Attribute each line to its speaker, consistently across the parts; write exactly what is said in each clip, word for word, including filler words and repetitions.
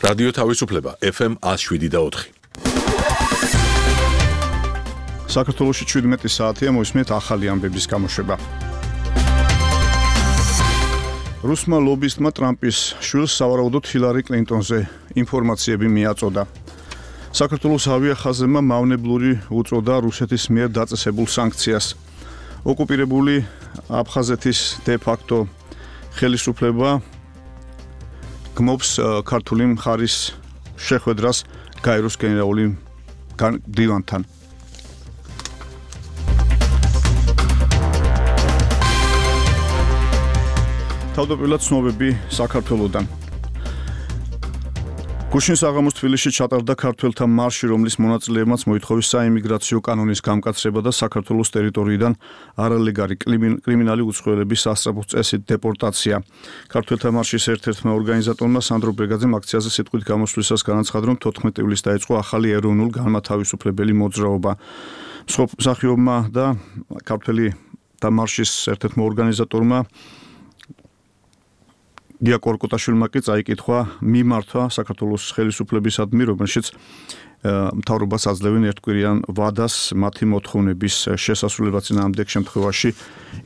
Speaker 1: რადიო თავისუფლება ეფ ემ one oh seven და four.
Speaker 2: საქართველოში შვიდმეტი საათია, მოისმენთ ახალი ამბების გამოშვება. რუსმა ლობისტმა ტრამპის შვილს სავარაუდოდ ჰილარი კლინტონზე ინფორმაციები მიაწოდა. საქართველოს ავიახაზებმა მავნებლური უწოდა რუსეთის მიერ დაწესებულ სანქციას. ოკუპირებული აფხაზეთის დე-ფაქტო ხელისუფლება გმობს ქართული მხარის შეხვედრას გაეროს გენერალური დივანთან. თავდაპირველად ცნობები საქართველოდან. გუშინ საღამოს თბილისში ჩატარდა ქართველთა მარში, რომლის მონაწილეებმაც მოითხოვეს საიმიგრაციო კანონის გამკაცრება და საქართველოს ტერიტორიიდან არალეგალი კრიმინალი უცხოელების სასწრაფო წესით დეპორტაცია. ქართველთა მარშის ერთ-ერთმა ორგანიზატორმა სანდრო ბრეგაძემ აქციაზე სიტყვით გამოსვლისას განაცხადა, რომ თოთხმეტი ივლისს დაიწყო ახალი ეროვნულ განმათავისუფლებელი მოძრაობა. მსახიობმა და ქართველთა მარშის ერთ-ერთმა ორგანიზატორმა გია კორკოტაშვილმა კი წაიკითხვა მიმართვა საქართველოს ხელისუფლებისადმი, რომელშიც მთავრობას აძლევენ ერთკვირიან ვადას მათი მოთხოვნების შესასრულებლად წინააღმდეგ შემთხვევაში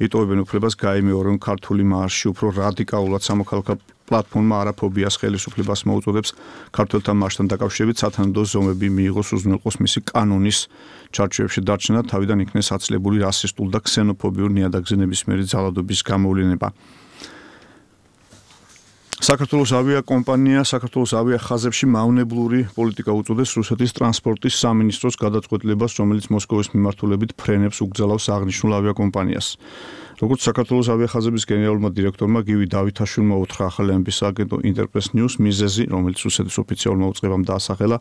Speaker 2: იტოვებენ უფლებას გაიმეორონ ქართული მარში. უფრო რადიკალურად სამოქალაქო პლატფორმა არაფობიას ხელისუფლებას მოუწოდებს ქართველთა მარშთან დაკავშირებით სათანადო ზომები მიიღოს, უზრუნველყოს მისი კანონის ჩარჩოებში დარჩენა, თავიდან იქნეს აცლებული რასისტულ და ქსენოფობიურ ნიადაგზე ნებისმიერი ძალადობის გამოვლინება. საქართველოს ავიაკომპანია საქართველოს ავიახაზებში მავნებლური პოლიტიკა უწოდეს რუსეთის ტრანსპორტის სამინისტროს გადაწყვეტილებას, რომელიც მოსკოვის მიმართულებით ფრენებს უგზავნოს აღნიშნულ ავიაკომპანიას. როგორც საქართველოს ავიახაზების გენერალურმა დირექტორმა გივი დავითაშვილმა უთხრა ახალი ამბის აგენტო ინტერპრეს ნიუს, მიზეზი, რომელიც რუსეთის ოფიციალურმა უწყებამ დაასახელა,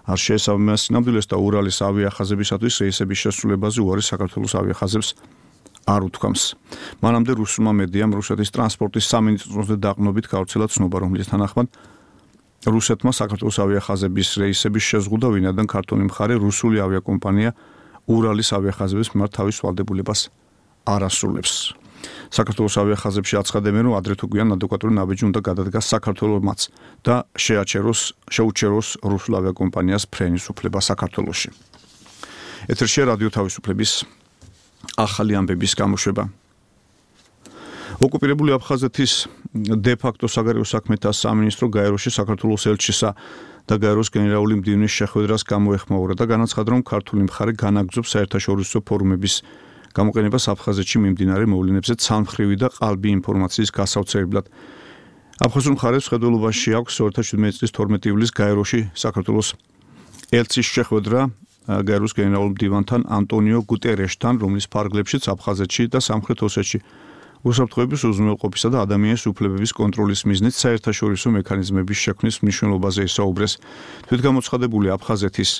Speaker 2: არ შეესაბამება სინამდვილეს და ურალის ავიახაზებისათვის რეისების შესრულებაზე უარი საქართველოს ავიახაზებს არ უთქვამს. მანამდე რუსულმა მედიამ რუსეთის ტრანსპორტის სამინისტროზე დაყრდნობით გავრცელა ცნობა, რომლის თანახმად რუსეთმა საქართველოს ავიახაზების რეისების შეზღუდვა, ვინაიდან ქართული მხარე რუსული ავიაკომპანია ურალის ავიახაზების მიმართ თავის ვალდებულებას არ ასრულებს. საქართველოს ავიახაზებში აცხადებენ, რომ ადრე თუ გვიან ადეკვატური ნაბიჯი უნდა გადადგას საქართველოსმაც და შეაჩეროს შეუჩეროს რუსულ ავიაკომპანიას ფრენის უფლება საქართველოში. ეთერშია რადიო თავისუფლების ახალი ამბების გამოშვება. ოკუპირებული აფხაზეთის დე-ფაქტო საგარეო საქმეთა სამინისტრო გაეროში საქართველოს ელჩისა და გაეროს გენერალური მდივნის შეხვედრას გამოეხმაურა და განაცხადა, რომ ქართული მხარე განაგრძობს საერთაშორისო ფორუმების გამოყენებას აფხაზეთში მიმდინარე მოვლენებზე ცალმხრივი და ყალბი ინფორმაციის გასავრცელებლად. აფხაზურ მხარეს ხედველობაში აქვს ორი ათას შვიდმეტი წლის თორმეტი ივლისს გაეროში საქართველოს ელჩის შეხვედრა გაეროს გენერალურ მდივანთან ანტონიო გუტერეშთან, რომლის ფარგლებშიც აფხაზეთში და სამხრეთ ოსეთში უსაფრთხოების უზრუნველყოფისა და ადამიანის უფლებების კონტროლის მიზნით საერთაშორისო მექანიზმების შექმნის მნიშვნელობაზე ისაუბრეს. თვითგამოცხადებული აფხაზეთის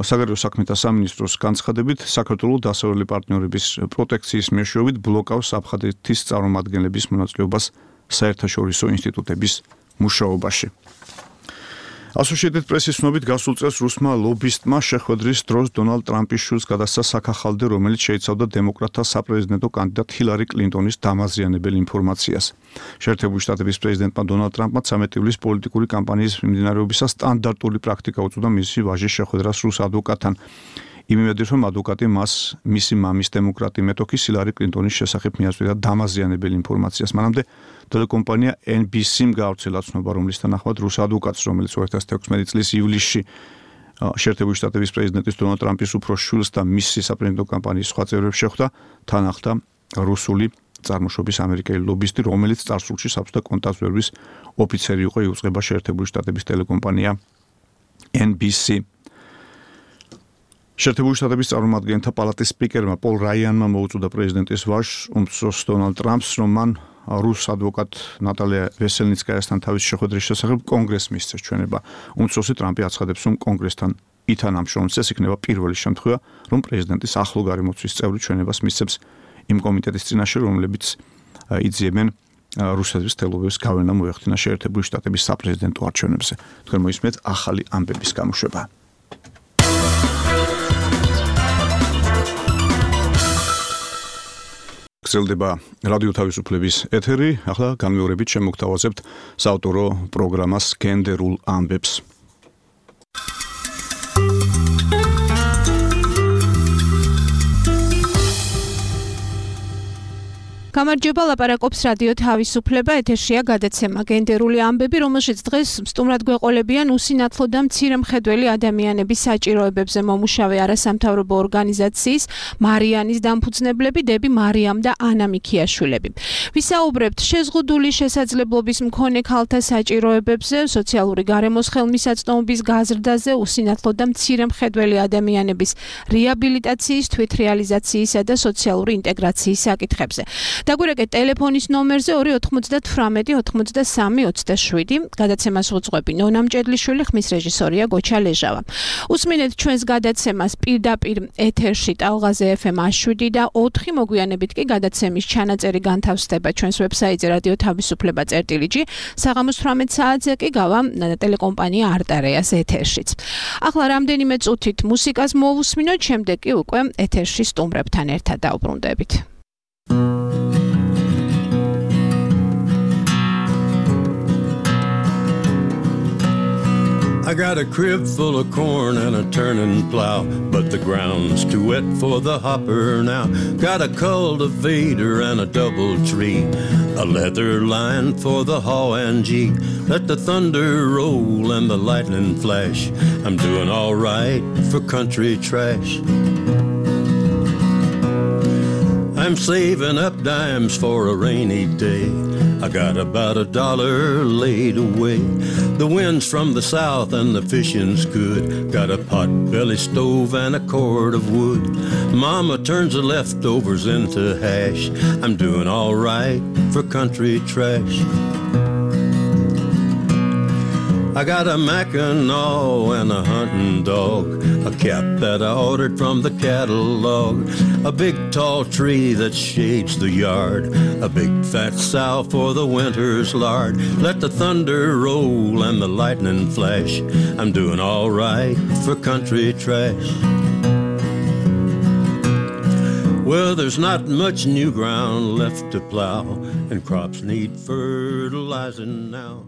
Speaker 2: საგარეო საქმეთა სამინისტროს განცხადებით, საქართველოს დასავლელი პარტნიორების პროტექციის მეშვეობით ბლოკავს აფხაზეთის წარმომადგენლების მონაწილეობას საერთაშორისო ინსტიტუტების მუშაობაში. Associated Press-ის ცნობით გასულ წელს რუსმა ლობისტმა შეხვედრის დროს დონალდ ტრამპის შვილს გადასცა საქახალდე, რომელიც შეიცავდა დემოკრატთა საპრეზიდენტო კანდიდატ ჰილარი კლინტონის დამაზიანებელ ინფორმაციას. შეერთებული შტატების პრეზიდენტმა დონალდ ტრამპმა ცამეტი ივლისს პოლიტიკური კამპანიის მიმდინარეობისას სტანდარტული პრაქტიკა უწოდა მისი ვაჟის შეხვედრას რუს ადვოკატთან. იმედით, რომ ადვოკატი მას მისი მამის დემოკრატი მეტოქის ჰილარი კლინტონის შესახებ მიაწვდიდა დამაზიანებელ ინფორმაციას. მანამდე ტელეკომპანია ენ ბი სი-მ გაავრცელა ცნობა, რომლის თანახმად რუს ადვოკატს, რომელიც ორი ათას თექვსმეტი წლის ივლისში შეერთებული შტატების პრეზიდენტის დონალდ ტრამპის უფროს შვილს და მისი საპრეზიდენტო კამპანიის სხვა წევრებს შეხვდა, თან ახლდა რუსული წარმოშობის ამერიკელი ლობისტი, რომელიც წარსულში საბჭოთა კონტრაბანდის ოფიცერი იყო, იუწყება შეერთებული შტატების ტელეკომპანია ენ ბი სი. შეერთებული შტატების წარმომადგენელთა პალატის სპიკერმა პოლ რაიანმა მოუწოდა პრეზიდენტის ვაჟს, უმცროს დონალდ ტრამპს, რომ მან რუს ადვოკატ ნატალია ვესელნიცკაიასთან თავის შეხვედრის შესახებ კონგრესს მისცეს ჩვენება. უმცროსი ტრამპი აცხადებს, რომ კონგრესთან ითანამშრომლებს, ეს იქნება პირველი შემთხვევა, რომ პრეზიდენტის ახლო გარემოცვის წევრი ჩვენებას მისცემს იმ კომიტეტის წინაშე, რომლებიც იძიებენ რუსეთის თელობების გავლენა მოეხდინა შეერთებული შტატების საპრეზიდენტო არჩევნებზე. თქვენ მოისმენთ ახალი ამბების გამოშვება. გრძელდება რადიო თავისუფლების ეთერი, ახლა განმეორებით შემოგთავაზებთ საავტორო პროგრამას გენდერულ ამბებს.
Speaker 3: გამარჯობა, ლაპარაკობს რადიო თავისუფლება, ეთერშია გადაცემა გენდერული ამბები, რომელშიც დღეს სტუმრად გვეყოლებიან უსინათლო და მცირე მხედველი ადამიანების საჭიროებებზე მომუშავე არასამთავრობო ორგანიზაციის მარიანის დამფუძნებლები, დები მარიამ და ანა მიქიაშვილები. ვისაუბრებთ შეზღუდული შესაძლებლობის მქონე ქალთა საჭიროებებზე, სოციალური გარემოს ხელმისაწვდომობის გაზრდაზე, უსინათლო და მცირე მხედველი ადამიანების რეაბილიტაციის, თვითრეალიზაციისა და სოციალური ინტეგრაციის საკითხებზე. დაგვირეკეთ ტელეფონის ნომერზე ორი ოთხმოცდათვრამეტი ოცდასამი ოცდაშვიდი. გადაცემას უძღვები ნონა მჭედლიშვილი, ხმის რეჟისორია გოჩა ლეჟავა. უსმინეთ ჩვენს გადაცემას პირდაპირ ეთერში ტალღაზე ეფ ემ შვიდი და ოთხი, მოგვიანებით კი გადაცემის ჩანაწერი განთავსდება ჩვენს ვებსაიტზე რადიო თავისუფლება წერტილი ჯი. საღამოს თვრამეტ საათზე კი გავა ტელეკომპანია არტარეას ეთერშიც. ახლა რამდენიმე წუთით მუსიკას მოვუსმინოთ, შემდეგ კი უკვე ეთერში სტუმრებთან ერთად დავბრუნდებით.
Speaker 4: I got a crib full of corn and a turning plow, but the ground's too wet for the hopper now. Got a cultivator and a double tree, a leather line for the haw and gee. Let the thunder roll and the lightning flash. I'm doing all right for country trash. I'm saving up dimes for a rainy day. I got about a dollar laid away. The wind's from the south and the fishing's good. Got a pot-belly stove and a cord of wood. Mama turns the leftovers into hash. I'm doing all right for country trash. I got a Mackinaw and a hunting dog, a cap that I ordered from the catalog, a big tall tree that shades the yard, a big fat sow for the winter's lard. Let the thunder roll and the lightning flash. I'm doing all right for country trash. Well, there's not much new ground left to plow, and crops need fertilizing now.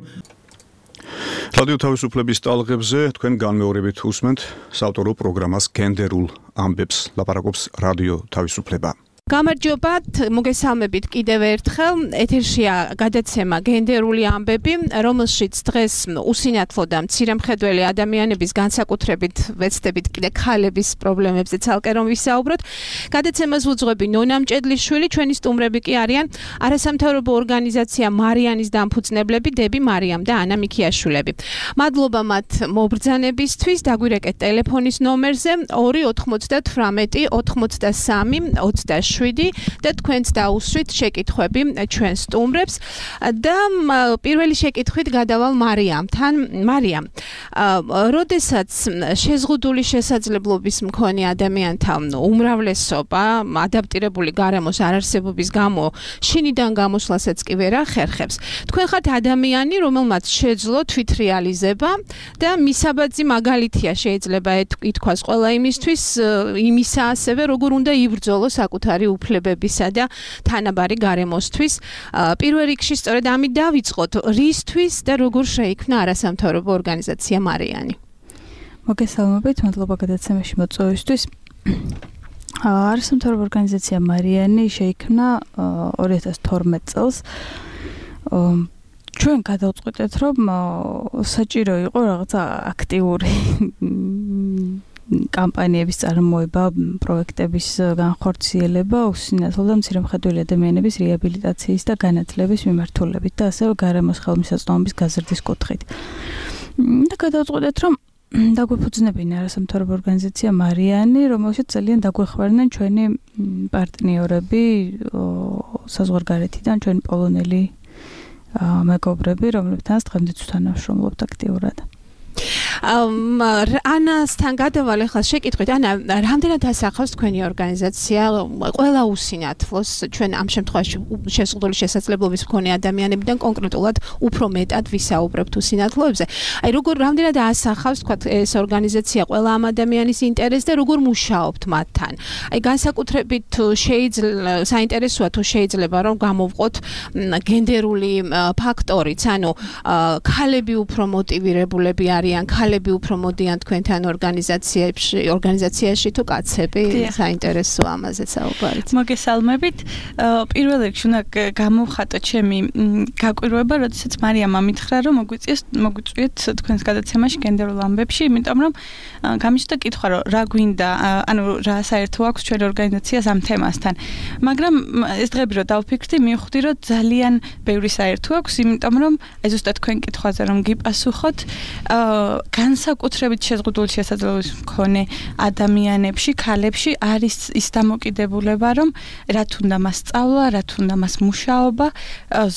Speaker 2: რადიო თავისუფლების ტალღებზე თქვენ განმეორებით უსმენთ საავტორო პროგრამას გენდერულ ამბებს, ლაპარაკობს რადიო თავისუფლება.
Speaker 3: გამარჯობათ, მოგესალმებით კიდევ ერთხელ. ეთერშია გადაცემა გენდერული ამბები, რომელშიც დღეს უსინათლო და მცირემხედველი ადამიანების განსაკუთრებით ვეცდებით კიდე ქალების პრობლემებზე ცალკე რომ ვისაუბროთ. გადაცემას უძღვები ნონა მჭედლიშვილი, ჩვენი სტუმრები კი არიან არასამთავრობო ორგანიზაცია მარიანის დამფუძნებლები, დები მარიამ და ანა მიქიაშვილები. მადლობა მათ მობრძანებისთვის. დაგვირეკეთ ტელეფონის ნომერზე ორი ოთხმოცდათვრამეტი ოცდასამი ოცდაშვიდი და თქვენც დაუსვით შეკითხვები ჩვენ სტუმრებს და პირველი შეკითხვით გადავალ მარიამთან. მარიამ, როდესაც შეზღუდული შესაძლებლობის მქონე ადამიანთა უმრავლესობა ადაპტირებული გარემოს არარსებობის გამო შინიდან გამოსვლასაც კი ვერ ახერხებს, თქვენ ხართ ადამიანი, რომელმაც შეძლო თვითრეალიზება და მისაბაძი მაგალითია შეიძლება ითქვას ყველა იმისთვის, იმისა ასევე როგორ უნდა იბრძოლოს საკუთარი უფლებებისა და თანაბარი გარემოსთვის. პირველ რიგში სწორედ ამით დავიწყოთ, რისთვის და როგორ შეიქმნა არასამთავრობო ორგანიზაცია მარიანი.
Speaker 5: მოგესალმებით, მადლობა გადაცემაში მოწვევისთვის. არასამთავრობო ორგანიზაცია მარიანი შეიქმნა ორი ათას თორმეტ წელს. ჩვენ გადავწყვეტეთ, რომ საჭირო იყო რაღაცა აქტიური კამპანიების წარმოება, პროექტების განხორციელება უსინათლო და მცირემხედველი ადამიანების რეაბილიტაციის და განათლების მიმართულებით და ასევე გარემოს ხელმისაწვდომობის გაზრდის კუთხით. და გადავწყვეტეთ, რომ დაგვეფუძნებინა არასამთავრობო ორგანიზაცია მარიანი, რომელშიც ძალიან დაგვეხმარნენ ჩვენი პარტნიორები საზღვარგარეთიდან, ჩვენი პოლონელი მეგობრები, რომლებთანაც დღემდე ვთანამშრომლობთ აქტიურად.
Speaker 3: ანასთან გადავალ ახლა შეკითხვით. ანა, რამდენად ასახავს თქვენი ორგანიზაცია ყველა უსინათლოს ჩვენ ამ შემთხვევაში შეზღუდული შესაძლებლობის მქონე ადამიანებიდან კონკრეტულად უფრო მეტად ვისაუბრებთ უსინათლოებზე. აი როგორ რამდენად ასახავს თქვა ეს ორგანიზაცია ყველა ამ ადამიანის ინტერესს და როგორ მუშაობთ მათთან. აი განსაკუთრებით შეიძლება საინტერესოა თუ შეიძლება რომ გამოვყოთ გენდერული ფაქტორიც, ანუ ქალები უფრო მოტივირებულები არიან, ქალები უფრო მოდიან თქვენთან ორგანიზაციებში, ორგანიზაციაში თუ კაცები, საინტერესოა ამაზე საუბარიც.
Speaker 5: მოგესალმებით. პირველ რიგში უნდა გამოვხატო ჩემი გაკვირვება, როდესაც მარიამ ამითხრა, რომ მოგვიწიეს მოგვიწვიეთ თქვენს გადაცემაში გენდერულ ამბებში, იმიტომ რომ გამიჩნდა კითხვა, რომ რა გვინდა, ანუ რა საერთო აქვს ჩვენი ორგანიზაციას ამ თემასთან. მაგრამ ეს დღეები რომ დავფიქრდი, მივხვდი, რომ ძალიან ბევრი საერთო აქვს, იმიტომ რომ აი ზუსტად თქვენ კითხვაზე რომ გიპასუხოთ, განსაკუთრებით შეზღუდული შესაძლებლობის მქონე ადამიანებში, ქალებში არის ის დამოკიდებულება, რომ რა თუნდა მას სწავლა, რა თუნდა მას მუშაობა,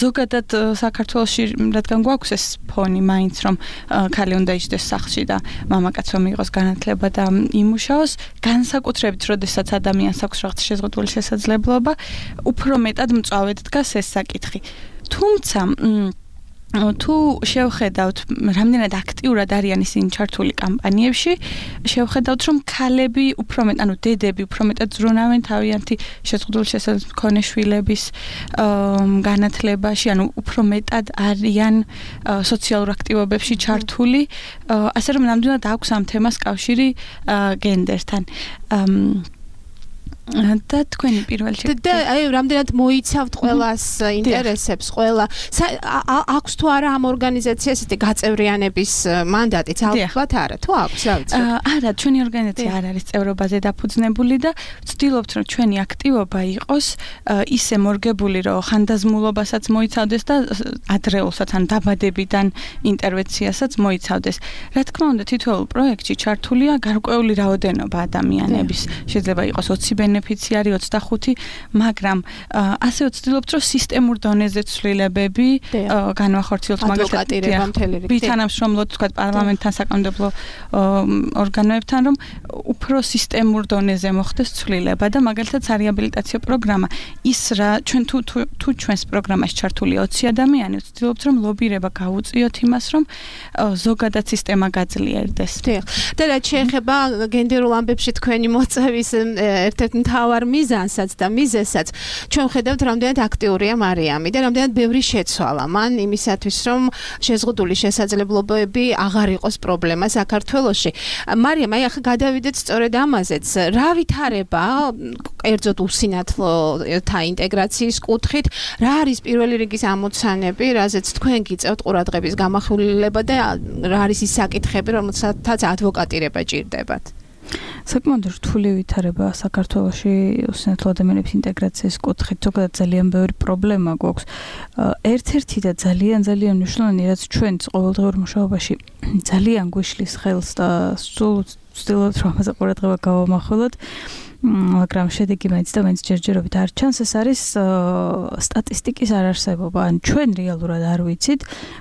Speaker 5: ზოგადად საქართველოში რადგან გვაქვს ეს ფონი მაინც რომ ქალი უნდა იჯდეს სახლში და მამაკაც რომ იყოს განათლება და იმუშაოს, განსაკუთრებით როდესაც ადამიანს აქვს რაღაც შეზღუდული შესაძლებლობა, უფრო მეტად მწვავედ დგას ეს საკითხი. თუმცა თუ შევხედავთ რამდენად აქტიურად არიან ისინი ჩართული კამპანიებში, შევხედავთ რომ ქალები უფრო მეტ, ანუ დედები უფრო მეტად ზრუნავენ თავიანთი შეზღუდული შესაძლებლობის მქონე შვილების განათლებაში, ანუ უფრო მეტად არიან სოციალურ აქტივობებში ჩართული, ასე რომ ნამდვილად აქვს ამ თემას კავშირი გენდერთან. და თქვენი პირველ შეკითხვა. და
Speaker 3: აი რამდენად მოიცავთ ყველას ინტერესებს, ყველა აქვს თუ არა ამ ორგანიზაციას ეს გაწევრიანების მანდატიც ალბათ არა, თუ აქვს, რა ვიცი.
Speaker 5: არა, ჩვენი ორგანიზაცია არ არის წევრობაზე დაფუძნებული და ვცდილობთ რომ ჩვენი აქტივობა იყოს ისე მორგებული, რომ ხანდაზმულობასაც მოიცავდეს და ადრეულსაც ან დაბადებიდან ინტერვენციასაც მოიცავდეს. რა თქმა უნდა, თითოეულ პროექტში ჩართულია გარკვეული რაოდენობა ადამიანების. შეიძლება იყოს ოცი ბენეფიციარი, ოცდახუთი, მაგრამ ასე ვცდილობთ, რომ სისტემურ დონეზე ცვლილებები განვახორციელოთ,
Speaker 3: მაგალითად,
Speaker 5: ვითანამშრომლოთ, თქვა პარლამენტთან, საკანონმდებლო ორგანოებთან, რომ უფრო სისტემურ დონეზე მოხდეს ცვლილება და მაგალითად სარეაბილიტაციო პროგრამა ის რა ჩვენ თუ თუ ჩვენს პროგრამაში ჩართულია ოცი ადამიანი, ვცდილობთ, რომ ლობირება გავუწიოთ იმას, რომ ზოგადად სისტემა გაძლიერდეს.
Speaker 3: დიახ. და რაც შეეხება გენდერულ ამბებში თქვენი მოწვევის ერთ-ერთ მთავარ მიზანსაც და მიზეზსაც ჩვენ ხედავთ რამდენად აქტიურია მარიამი და რამდენად ბევრი შეცვალა მან იმისათვის რომ შეზღუდული შესაძლებლობები აღარ იყოს პრობლემა საქართველოში. მარიამ, აი ახლა გადავიდეთ სწორედ ამაზეც. რა ვითარება კერძოდ უსინათლოთა ინტეგრაციის კუთხით, რა არის პირველი რიგის ამოცანები, რაზეც თქვენ გიწევთ ყურადღების გამახვილება და რა არის ის საკითხები, რომელთაც ადვოკატირება ჭირდებათ?
Speaker 5: საკმაოდ რთული ვითარება საქართველოში უსინათლო ადამიანების ინტეგრაციის კუთხით, ზოგადად ძალიან ბევრი პრობლემა გვაქვს. ერთ-ერთი და ძალიან ძალიან მნიშვნელოვანი, რაც ჩვენს ყოველდღიურ მუშაობაში ძალიან გვიშლის ხელს და სულ ვცდილობთ რომ ამაზე ყურადღება გავამახვილოთ, მაგრამ შედეგი მაინც და მაინც ჯერჯერობით არ ჩანს, ეს არის სტატისტიკის არარსებობა. ან ჩვენ რეალურად არ ვიცით,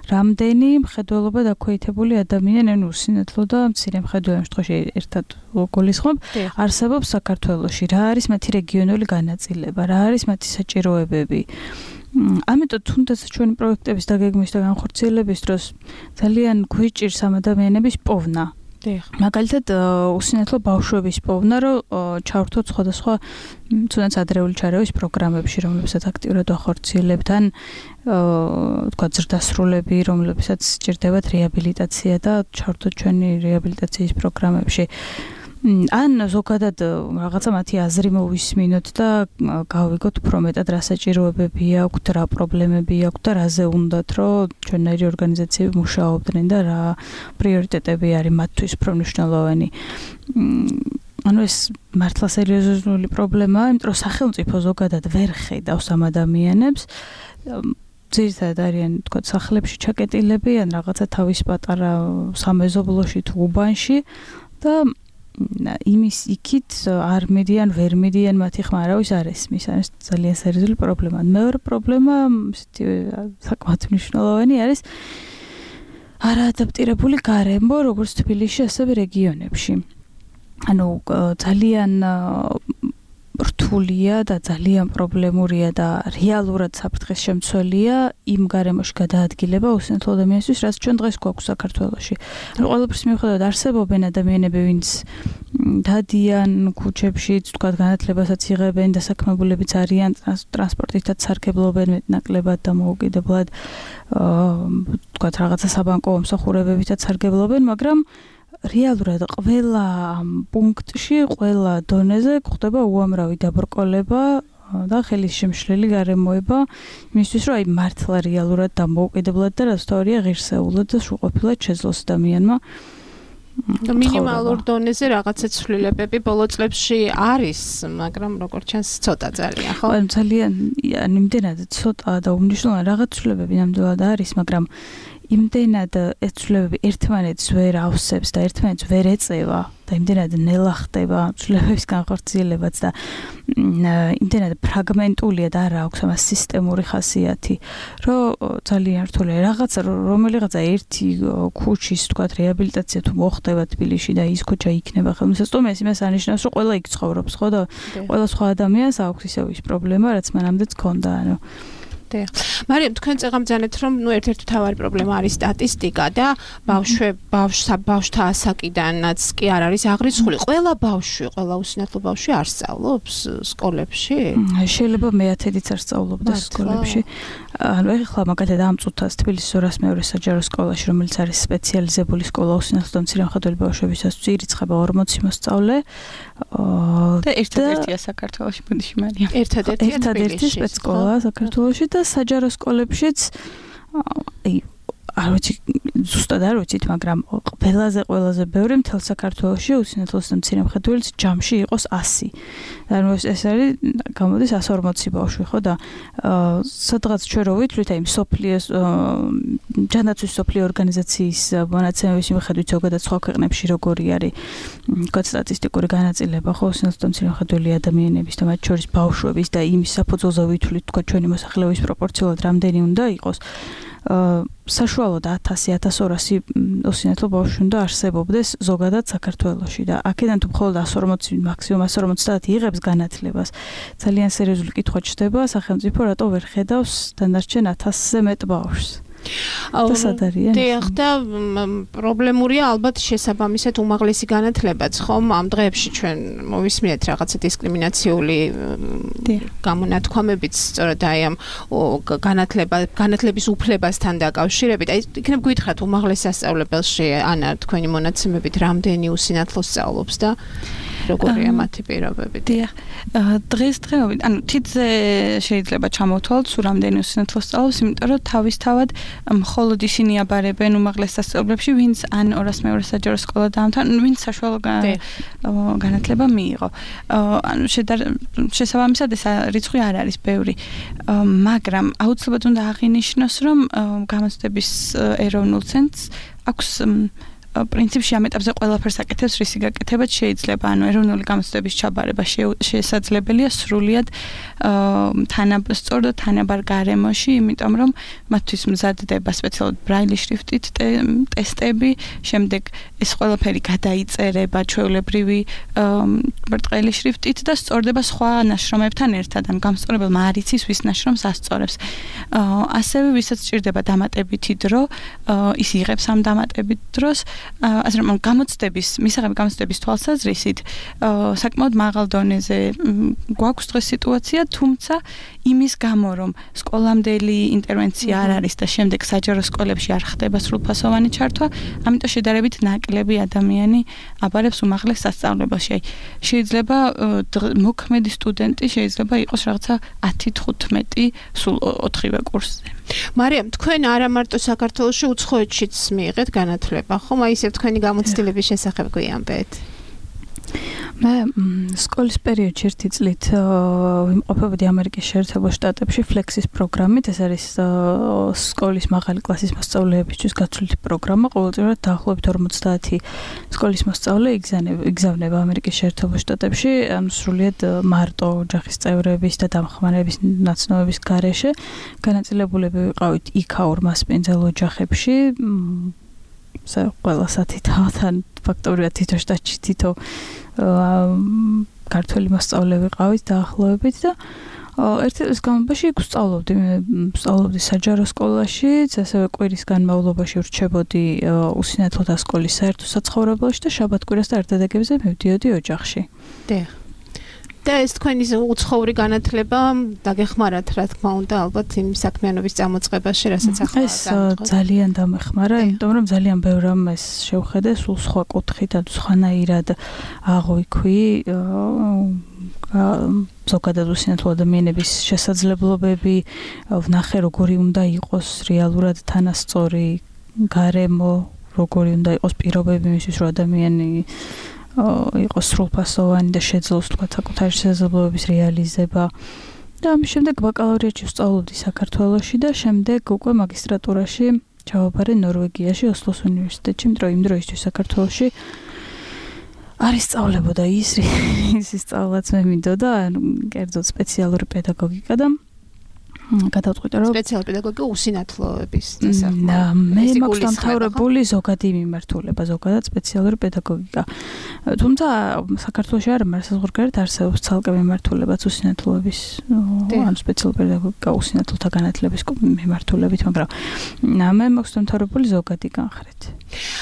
Speaker 5: რამდენი მხედველობა დაქვეითებული ადამიანი, ანუ უსინათლო და მცირე მხედველობა შემთხვევაში ერთად გულისხმობ, არსებობს საქართველოში. რა არის მათი რეგიონული განაწილება, რა არის მათი საჭიროებები. ამიტომ თუნდაც ჩვენი პროექტების დაგეგმვის და განხორციელების დროს ძალიან გვიჭირს ამ ადამიანების პოვნა. მაგალითად უსინათლო ბავშვების პოვნა, რომ ჩავრთოთ სხვადასხვა თუნდაც ადრეული ჩარევის პროგრამებში, რომლებსაც აქტიურად ვახორციელებთ, ან თქვა ზრდასრულები, რომლებსაც სჭირდებათ რეაბილიტაცია და ჩავრთოთ ჩვენი რეაბილიტაციის პროგრამებში. ან ზოგადად რაღაცა მათი აზრი მოვისმინოთ და გავიგოთ უფრო მეტად რა საჭიროებები აქვთ, რა პრობლემები აქვთ და რაზე უნდათ, რომ ჩვენნაირი ორგანიზაციები მუშაობდნენ და რა პრიორიტეტები არის მათთვის უფრო მნიშვნელოვანი. ანუ ეს მართლა სერიოზული პრობლემაა, იმიტომ რომ სახელმწიფო ზოგადად ვერ ხედავს ამ ადამიანებს. ძირითადად არიან თქვა სახლებში ჩაკეტილები ან რაღაცა თავის პატარა სამეზობლოში თუ უბანში და იმის იქით არ მიდიან, ვერ მიდიან მათი ხმა არავის არ ესმის. არის ძალიან სერიოზული პრობლემა. მეორე პრობლემა, ისეთი საკმაოდ მნიშვნელოვანი არის არაადაპტირებული გარემო, როგორც თბილისში, ასევე რეგიონებში. ანუ ძალიან რთულია და ძალიან პრობლემურია და რეალურად საფრთხეს შემცველია იმ გარემოში გადაადგილება უსინათლო ადამიანისთვის, რაც ჩვენ დღეს გვაქვს საქართველოში. ანუ ყველაფრის მიუხედავად არსებობენ ადამიანები, ვინც დადიან ქუჩებში, თქვა განათლებასაც იღებენ, დასაქმებულებიც არიან, ტრანსპორტითაც სარგებლობენ მეტნაკლებად და მოუკიდებლად, თქვა რაღაცა საბანკო მომსახურებებითაც სარგებლობენ, მაგრამ რეალურად ყველა პუნქტში, ყველა დონეზე გვხდება უამრავი დაბრკოლება და ხელის შემშლელი გარემოება, იმისთვის რომ აი მართლა რეალურად და მოუკიდებლად და რაც თავია ღირსეულად და სრულყოფილად შეძლოს ადამიანმა
Speaker 3: მინიმალურ დონეზე რაღაცა ცვლილებები ბოლო წლებში არის, მაგრამ როგორც ჩანს ცოტა ძალიან, ხო?
Speaker 5: აი ძალიან იმდენად ცოტა და უმნიშვნელო რაღაც ცვლილებები ნამდვილად არის, მაგრამ იმდენად ეს ცვლილებები ერთმანეთს ვერ ავსებს და ერთმანეთს ვერ ეწევა და იმდენად ნელა ხდება ცვლილებების განხორციელებაც და იმდენად ფრაგმენტულია და არა აქვს ამას სისტემური ხასიათი, რომ ძალიან რთულია რაღაცა რომელიღაცა ერთი ქუჩის თქვათ რეაბილიტაცია თუ მოხდება თბილისში და ის ქუჩა იქნება ხელმისაწვდომი, ეს იმას ანიშნავს, რომ ყველა იქ ცხოვრობს, ხო და ყველა სხვა ადამიანს აქვს ისევ ის პრობლემა, რაც მანამდეც ჰქონდა, ანუ
Speaker 3: დიახ. მარიამ, თქვენ წეღამძანეთ, რომ ნუ ერთ-ერთი მთავარი პრობლემა არის სტატისტიკა და ბავშვე ბავშვსა ბავშვთა ასაკიდანაც კი არ არის აღრიცხული. ყველა ბავშვი, ყველა უსინათლო ბავშვი არ სწავლობს სკოლებში?
Speaker 5: შეიძლება მეათედიც არ სწავლობდეს სკოლებში. ანუ ეხლა მაგათად ამ წუთას თბილისის ორას მეორე საჯარო სკოლაში, რომელიც არის სპეციალიზებული სკოლა უსინათლო და მცირემხატველი ბავშვებისას, ირიცხება ორმოცი მოსწავლე.
Speaker 6: და ერთადერთია საქართველოში, ბუდიში მარიამ.
Speaker 3: ერთადერთია
Speaker 5: ერთადერთი სპეცსკოლა საქართველოში და საჯარო სკოლებშიც აი არ ვიცი ზუსტად არ ვიცით, მაგრამ ყველაზე ყველაზე ბევრი მთელ საქართველოში უსინათლოს და მცირემხატველის ჯამში იყოს ასი. ანუ ეს არის გამოდის ასი ორმოცი ბავშვი, ხო და სადღაც ჩვენ რო ვითვლით აი სოფლიოს ჯანდაცვის სოფლიო ორგანიზაციის მონაცემების მიხედვით ზოგადად სხვა ქვეყნებში როგორი არის თქვა სტატისტიკური განაწილება ხო უსინათლო და მცირემხატველი ადამიანების და მათ შორის ბავშვების და იმის საფუძველზე ვითვლით თქვა ჩვენი მოსახლეობის პროპორციულად რამდენი უნდა იყოს საშუალოდ ათასი ათას ორასი უსინათლო ბავშვი უნდა არსებობდეს ზოგადად საქართველოში და აქედან თუ მხოლოდ ასი ორმოცი მაქსიმუმ ასი ორმოცდაათი იღებს განათლებას ძალიან სერიოზული კითხვა ჩდება სახელმწიფო რატო ვერ ხედავს დანარჩენ ათასზე მეტ ბავშვს
Speaker 3: დიახ და პრობლემურია ალბათ შესაბამისად უმაღლესი განათლებაც ხომ ამ დღეებში ჩვენ მოვისმინეთ რაღაცა დისკრიმინაციული გამონათქვამებიც სწორედ აი ამ განათლება განათლების უფლებასთან დაკავშირებით აი იქნებ გითხრათ უმაღლეს სასწავლებელში ანა თქვენი მონაცემებით რამდენი უსინათლო სწავლობს და როგორია მათი პირობები?
Speaker 6: დიახ. დღესდღეობით, ანუ თითზე შეიძლება ჩამოვთვალოთ, სულ რამდენი უსინათლო სწავლობს, იმიტომ რომ თავისთავად მხოლოდ ისინი აბარებენ უმაღლეს სასწავლებლებში, ვინც ან ორას მეორე საჯარო სკოლა დაამთავრა, ვინც საშუალო განათლება მიიღო. ანუ შესაბამისად ეს რიცხვი არ არის ბევრი. მაგრამ აუცილებლად უნდა აღინიშნოს, რომ გამოცდების ეროვნულ ცენტრს აქვს პრინციპში ამ ეტაპზე ყველაფერს აკეთებს, რისი გაკეთებაც შეიძლება, ანუ ეროვნული გამოცდების ჩაბარება შესაძლებელია სრულიად თანაბარ და თანაბარ გარემოში, იმიტომ რომ მათთვის მზადდება სპეციალურად ბრაილის შრიფტით ტესტები, შემდეგ ეს ყველაფერი გადაიწერება ჩვეულებრივი ბრტყელი შრიფტით და სწორდება სხვა ნაშრომებთან ერთად, ანუ გამსწორებელმა არ იცის ვის ნაშრომს ასწორებს. ასევე ვისაც სჭირდება დამატებითი დრო, ის იღებს ამ დამატებით დროს ასე რომ გამოცდების, მისაღები გამოცდების თვალსაზრისით საკმაოდ მაღალ დონეზე გვაქვს დღეს სიტუაცია, თუმცა იმის გამო, რომ სკოლამდელი ინტერვენცია არ არის და შემდეგ საჯარო სკოლებში არ ხდება სრულფასოვანი ჩართვა, ამიტომ შედარებით ნაკლები ადამიანი აბარებს უმაღლეს სასწავლებელში. აი, შეიძლება მოქმედი სტუდენტი შეიძლება იყოს რაღაცა ათი თხუთმეტი სულ ოთხივე კურსზე.
Speaker 3: მარიამ, თქვენ არა მარტო საქართველოში უცხოეთშიც მიიღეთ განათლება, ხომ? აი ისევ თქვენი გამოცდილების შესახებ გვიამბეთ.
Speaker 5: მე სკოლის პერიოდში ერთი წლით ვიმყოფებოდი ამერიკის შეერთებულ შტატებში ფლექსის პროგრამით, ეს არის სკოლის მაღალი კლასის მოსწავლეებისთვის გაცვლითი პროგრამა, ყოველწლიურად დაახლოებით ორმოცდაათი სკოლის მოსწავლე იგზავნება ამერიკის შეერთებულ შტატებში, ანუ სრულიად მარტო ოჯახის წევრების და დამხმარების ნაცნობების გარეშე. განაწილებულები ვიყავით იქაურ მასპინძელ ოჯახებში, სა ყველა სათი თავთან ფაქტობრივად თითო შტატში თითო ქართველი მოსწავლე ვიყავით დაახლოებით და ერთი წლის განმავლობაში ვსწავლობდი, მე ვსწავლობდი საჯარო სკოლაშიც, ასევე კვირის განმავლობაში ვრჩებოდი უსინათლოთა სკოლის საერთო საცხოვრებელში და შაბათ-კვირას და ერთადაგებზე მივდიოდი ოჯახში.
Speaker 3: დიახ. და ეს თქვენი უცხოური განათლება დაგეხმარათ, რა თქმა უნდა, ალბათ იმ საქმიანობის წამოწყებაში, რასაც ახლა
Speaker 5: ეს ძალიან დამეხმარა, იმიტომ რომ ძალიან ბევრ რამეს შევხედე სულ სხვა კუთხით, ანუ სხვანაირად აღვიქვი ზოგადად უსინათლო ადამიანების შესაძლებლობები, ვნახე როგორი უნდა იყოს რეალურად თანასწორი გარემო, როგორი უნდა იყოს პირობები მისთვის, რომ ადამიანი იყოს სრულფასოვანი და შეძლოს თქვა საკუთარი შესაძლებლობების რეალიზება. და ამის შემდეგ ბაკალავრიატში ვსწავლობდი საქართველოში და შემდეგ უკვე მაგისტრატურაში ჩავაბარე ნორვეგიაში, ოსლოს უნივერსიტეტში, იმიტომ რომ იმ დროისთვის საქართველოში არის სწავლებოდა ის ის სწავლაც მე მინდოდა, ანუ კერძოდ სპეციალური პედაგოგიკა და გადავწყვიტე რომ
Speaker 3: სპეციალური პედაგოგიკა უსინათლოების დასახმარებლად.
Speaker 5: და მე მაქვს დამთავრებული ზოგადი მიმართულება, ზოგადად სპეციალური პედაგოგიკა. თუმცა საქართველოში არ არის საზღვარგარეთ არსებობს ცალკე მიმართულებაც უსინათლოების, ანუ სპეციალური პედაგოგიკა უსინათლოთა განათლების მიმართულებით, მაგრამ მე მაქვს დამთავრებული ზოგადი განხრით.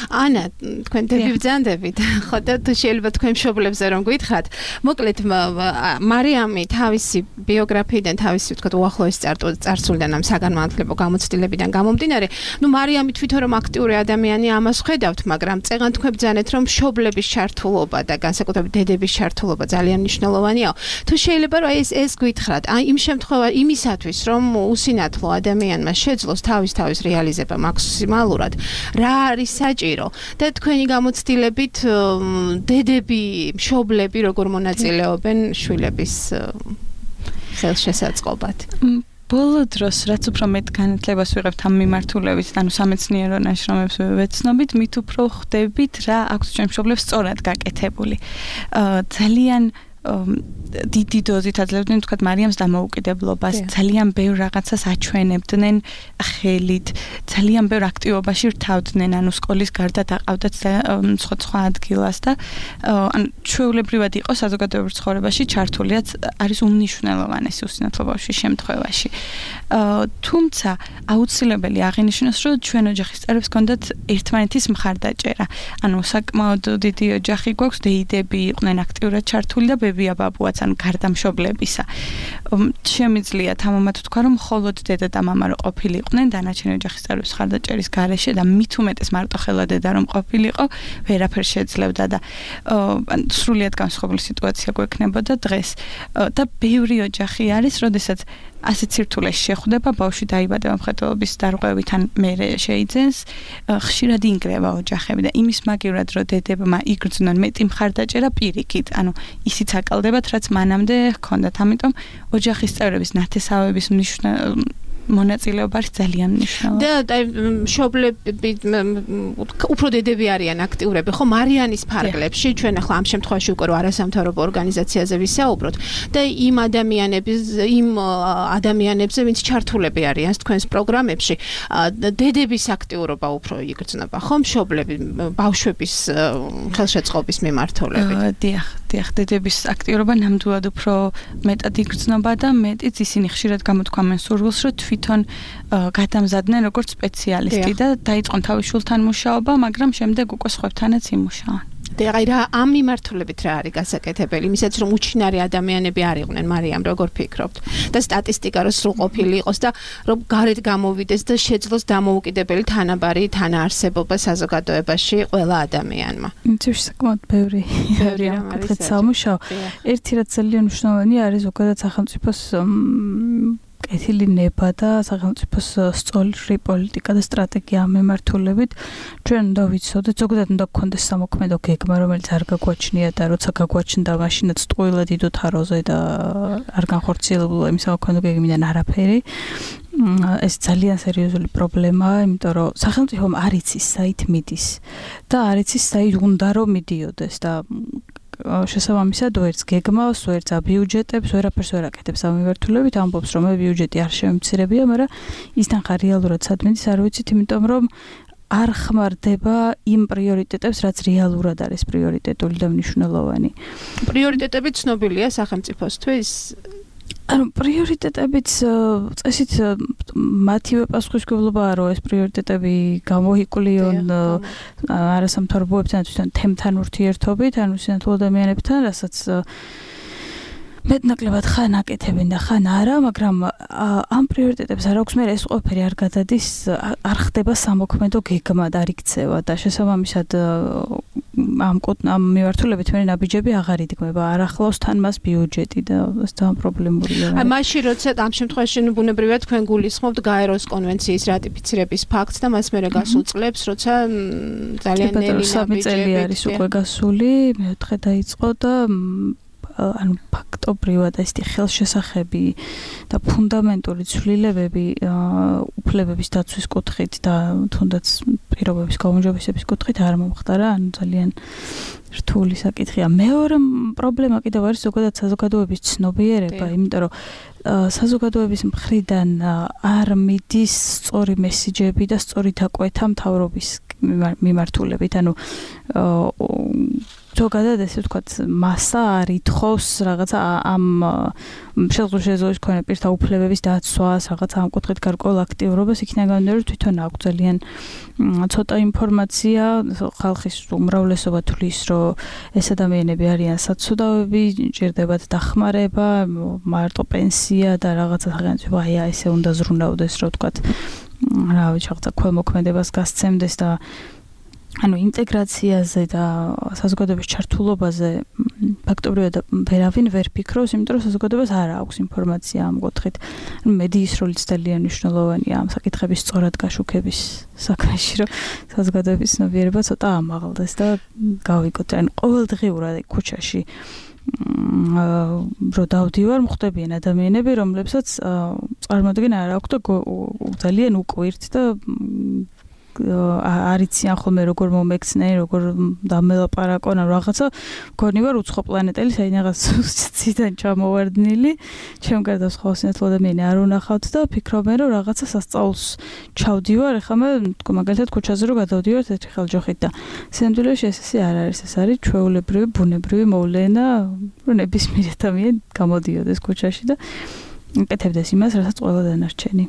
Speaker 3: ანა, თქვენ დაბიბძანდებით, ხო და თუ შეიძლება თქვენ მშობლებზე რომ გითხრათ, მოკლედ მარიამი თავისი ბიოგრაფიიდან, თავისი ვთქვათ უახლოესი წარსულიდან ამ საგანმანათლებლო გამოცდილებიდან გამომდინარე, ნუ მარიამი თვითონ რომ აქტიური ადამიანი ამას ხედავთ, მაგრამ წეღან თქვენ ბძანეთ რომ მშობლების ჩართულობა და განსაკუთრებით დედების ჩართულობა ძალიან მნიშვნელოვანია. თუ შეიძლება რომ ეს ეს გითხრათ, აი იმ შემთხვევაში იმისათვის რომ უსინათლო ადამიანმა შეძლოს თავის თავის რეალიზება მაქსიმალურად, რა არის საჭირო და თქვენი გამოცდილებით დედები, მშობლები როგორ მონაწილეობენ შვილების ხელშესაწყობად?
Speaker 6: ბოლო დროს, რაც უფრო მეტ განათლებას ვიღებთ ამ მიმართულებით, ანუ სამეცნიერო ნაშრომებს ვეცნობით, მით უფრო ხვდებით რა აქვს ჩვენ მშობლებს სწორად გაკეთებული. ძალიან დიდი დოზით აძლევდნენ თქვათ მარიამს დამოუკიდებლობას, ძალიან ბევრ რაღაცას აჩვენებდნენ ხელით, ძალიან ბევრ აქტივობაში რთავდნენ, ანუ სკოლის გარდა დაყავდათ სხვა სხვა ადგილას და ანუ ჩვეულებრივად იყო საზოგადოებრივ ცხოვრებაში ჩართულიაც არის უმნიშვნელოვანესი უსინათლო ბავშვის შემთხვევაში. თუმცა აუცილებელი აღინიშნოს, რომ ჩვენ ოჯახის წევრებს ჰქონდათ ერთმანეთის მხარდაჭერა. ანუ საკმაოდ დიდი ოჯახი გვაქვს, დეიდები იყვნენ აქტიურად ჩართული და ბებია ბაბუაც ან გარდა მშობლებისა. შემიძლია თამამად ვთქვა, რომ მხოლოდ დედა და მამა რო ყოფილიყვნენ დანარჩენი ოჯახის წევრების მხარდაჭერის გარეშე და მით უმეტეს მარტოხელა დედა რომ ყოფილიყო, ვერაფერს შეძლებდა და ან სრულიად განსხვავებული სიტუაცია გვექნებოდა დღეს. და ბევრი ოჯახი არის, როდესაც ასეთ სირთულეში შეხვდება, ბავშვი დაიბადება მხედველობის დარღვევით ან მერე შეიძენს, ხშირად ინგრევა ოჯახები და იმის მაგივრად, რომ დედებმა იგრძნონ მეტი მხარდაჭერა პირიქით, ანუ ისიც აკალდებათ, რაც მანამდე ჰქონდათ. ამიტომ ოჯახის წევრების ნათესავების მნიშვნელობა მონაწილეობა არის ძალიან მნიშვნელოვანი.
Speaker 3: და აი მშობლები უფრო დედები არიან აქტიურები, ხო მარიანის ფარგლებში, ჩვენ ახლა ამ შემთხვევაში უკვე რო არასამთავრობო ორგანიზაციაზე ვისაუბროთ და იმ ადამიანების იმ ადამიანებზე, ვინც ჩართულები არიან თქვენს პროგრამებში, დედების აქტიურობა უფრო იგრძნობა, ხო მშობლები ბავშვების ხელშეწყობის მიმართულებით.
Speaker 6: დიახ, დიახ, დედების აქტიურობა ნამდვილად უფრო მეტად იგრძნობა და მეტიც ისინი ხშირად გამოთქვამენ სურვილს, რომ თვითონ გადამზადდნენ როგორც სპეციალისტი და დაიწყონ თავის შვილთან მუშაობა, მაგრამ შემდეგ უკვე სხვებთანაც იმუშაონ.
Speaker 3: და აი რა ამ მიმართულებით რა არის გასაკეთებელი, იმისაც რომ უჩინარი ადამიანები არ იყვნენ, მარიამ, როგორ ფიქრობთ? და სტატისტიკა რო სრულყოფილი იყოს და რომ გარეთ გამოვიდეს და შეძლოს დამოუკიდებელი თანაბარი თანაარსებობა საზოგადოებაში ყველა ადამიანმა.
Speaker 5: იმის საკმაოდ ბევრი ბევრი ამკეთეთ სამუშაო. ერთი რაც ძალიან მნიშვნელოვანია არის ზოგადად სახელმწიფოს კეთილი ნება და სახელმწიფოს სწორი პოლიტიკა და სტრატეგია ამ მიმართულებით. ჩვენ უნდა ვიცოდეთ, ზოგადად უნდა გქონდეს სამოქმედო გეგმა, რომელიც არ გაგვაჩნია და როცა გაგვაჩნდა, მაშინაც ტყუილად იდოთ აროზე და არ განხორციელებულა იმ სამოქმედო გეგმიდან არაფერი. ეს ძალიან სერიოზული პრობლემაა, იმიტომ რომ სახელმწიფომ არ იცის საით მიდის და არ იცის საით უნდა რომ მიდიოდეს და შესაბამისად ვერც გეგმავს, ვერც აბიუჯეტებს, ვერაფერს ვერ აკეთებს ამ მიმართულებით, ამბობს რომ ბიუჯეტი არ შემცირებია, მაგრამ ისთან ხარ რეალურად სად მიდის არ ვიცით, იმიტომ რომ არ ხმარდება იმ პრიორიტეტებს, რაც რეალურად არის პრიორიტეტული და მნიშვნელოვანი.
Speaker 3: პრიორიტეტები ცნობილია სახელმწიფოსთვის?
Speaker 5: ანუ პრიორიტეტებიც წესით მათივე პასუხისმგებლობაა, რომ ეს პრიორიტეტები გამოიკვლიონ არასამთავრობოებთან, თვითონ თემთან ურთიერთობით, ანუ სინათლე ადამიანებთან, რასაც მეტნაკლებად ხან აკეთებენ და ხან არა, მაგრამ ამ პრიორიტეტებს არ აქვს მე ეს ყველაფერი არ გადადის, არ ხდება სამოქმედო გეგმა და არ იქცევა და შესაბამისად ამ ამ მიმართულებით მე ნაბიჯები აღარ იდგმება, არ ახლავს თან მას ბიუჯეტი და ეს ძალიან პრობლემურია.
Speaker 3: აი მაშინ როცა ამ შემთხვევაში ბუნებრივია თქვენ გულისხმობთ გაეროს კონვენციის რატიფიცირების ფაქტს და მას მერე გასულ წლებს, როცა ძალიან ნელი
Speaker 5: სამი წელი არის უკვე გასული, მეოთხე დაიწყო და ანუ ფაქტობრივად ეს ხელშესახები და ფუნდამენტური ცვლილებები უფლებების დაცვის კუთხით და თუნდაც პირობების გაუმჯობესების კუთხით არ მომხდარა, ანუ ძალიან რთული საკითხია. მეორე პრობლემა კიდევ არის ზოგადად საზოგადოების ცნობიერება, იმიტომ რომ საზოგადოების მხრიდან არ მიდის სწორი მესიჯები და სწორი დაკვეთა მთავრობის მიმართულებით, ანუ ზოგადად ესე ვთქვათ, მასა არ ითხოვს რაღაცა ამ შესაძლოა ქონა პირთა უფლებების დაცვას, რაღაცა ამ კუთხით გარკვეულ აქტიურობას, იქიდან გამომდინარე, რომ თვითონ აქვს ძალიან ცოტა ინფორმაცია, ხალხის უმრავლესობა თვლის, რომ ეს ადამიანები არიან საცოდავები, ჭირდებათ დახმარება, მარტო პენსია და რაღაცა სახელმწიფო აი ესე უნდა ზრუნავდეს, რომ ვთქვათ, რა ვიცი, რაღაცა ქველმოქმედებას გასცემდეს და ანუ ინტეგრაციაზე და საზოგადოების ჩართულობაზე ფაქტობრივად ვერავინ ვერ ფიქრობს, იმიტომ რომ საზოგადოებას არ აქვს ინფორმაცია ამ კუთხით. მედიის როლიც ძალიან მნიშვნელოვანია ამ საკითხების სწორად გაშუქების საქმეში, რომ საზოგადოების ცნობიერება ცოტა ამაღლდეს და გავიგოთ. ანუ ყოველდღიურად ქუჩაში რო დავდივარ, მოხდებიან ადამიანები, რომლებსაც წარმოადგენა არ აქვს და ძალიან უკვირთ და არიციან ხოლმე როგორ მომექცნენ, როგორ დამელაპარაკონ, რაღაცა მგონი ვარ უცხო პლანეტელი, საინაღაც ციდან ჩამოვარდნილი, ჩემ გარდა სხვა სინათლე ადამიანი არ უნახავთ და ფიქრობენ, რომ რაღაცა სასწაულს ჩავდივარ, ეხლა მე მაგალითად ქუჩაზე რო გადავდივართ ერთი ხელჯოხით და სინამდვილეში ეს ესე არ არის, ეს არის ჩვეულებრივი, ბუნებრივი მოვლენა, რომ ნებისმიერ ადამიანი გამოდიოდეს ქუჩაში და კეთებდეს იმას, რასაც ყველა დანარჩენი.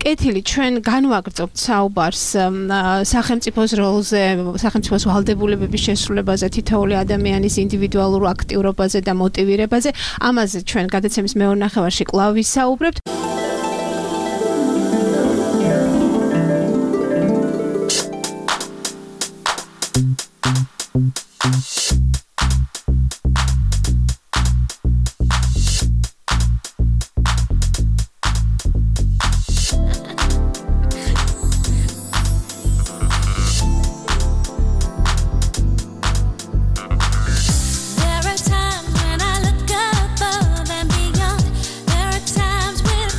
Speaker 3: კეთილი, ჩვენ განვაგრძობთ საუბარს სახელმწიფოს როლზე, სახელმწიფოს ვალდებულებების შესრულებაზე, თითოეული ადამიანის ინდივიდუალურ აქტიურობაზე და მოტივირებაზე. ამაზე ჩვენ გადაცემის მეორე ნახევარში კვლავ ვისაუბრებთ.
Speaker 7: There are times when I look above and beyond. There are times when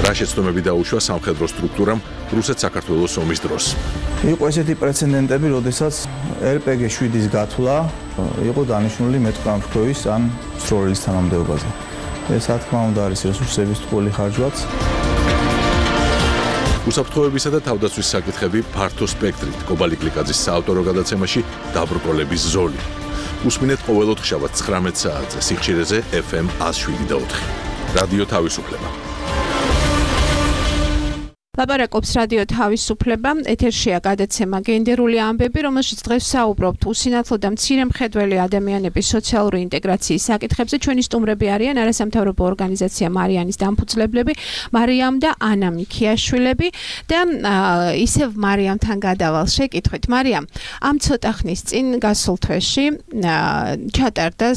Speaker 1: რა შეცდომები დაუშვა სამხედრო სტრუქტურამ რუსეთ-საქართველოს ომის დროს.
Speaker 7: იყო ესეთი პრეცედენტები, როდესაც ერ პე გი შვიდის გათვლა იყო დანიშნული მეტყამფრქვევის ან სროლის თანამდებობაზე. ეს რა თქმა უნდა არის რესურსების ტყუილი ხარჯვაც.
Speaker 1: უსაფრთხოებისა და თავდაცვის საკითხები ფართო სპექტრით კობალი კლიკაძის საავტორო გადაცემაში დაბრკოლების ზოლი. უსმინეთ ყოველ ოთხშაბათს ცხრამეტ საათზე სიხშირეზე ეფ ემ ას შვიდი და ოთხი. რადიო თავისუფლება.
Speaker 3: ლაპარაკობს რადიო თავისუფლება, ეთერშია გადაცემა გენდერული ამბები, რომელშიც დღეს საუბრობთ უსინათლო და მცირემხედველი ადამიანების სოციალური ინტეგრაციის საკითხებზე. ჩვენი სტუმრები არიან არასამთავრობო ორგანიზაცია მარიანის დამფუძნებლები, მარიამ და ანა მიქიაშვილები და ისევ მარიამთან გადავალ შეკითხვით. მარიამ, ამ ცოტა ხნის წინ გასულ თვეში ჩატარდა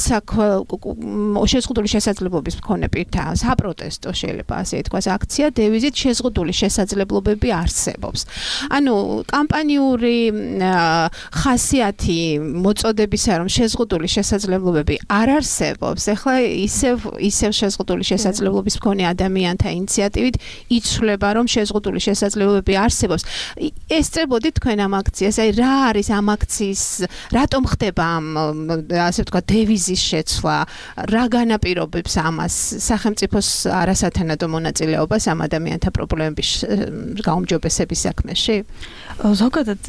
Speaker 3: შეზღუდული შესაძლებლობის მქონე პირთა საპროტესტო, შეიძლება ასე ითქვას, აქცია დევიზით შეზღუდული შესაძლებლობები შესაძლებლობები არსებობს. ანუ კამპანიური ხასიათი მოწოდებისა, რომ შეზღუდული შესაძლებლობები არ არსებობს, ეხლა ისევ ისევ შეზღუდული შესაძლებლობის მქონე ადამიანთა ინიციატივით იცვლება, რომ შეზღუდული შესაძლებლობები არსებობს. ესწრებოდით თქვენ ამ აქციას, აი რა არის ამ აქციის, რატომ ხდება ამ ასე ვთქვათ დევიზის შეცვლა, რა განაპირობებს ამას სახელმწიფოს არასათანადო მონაწილეობას ამ ადამიანთა პრობლემების გაუმჯობესების საქმეში?
Speaker 5: ზოგადად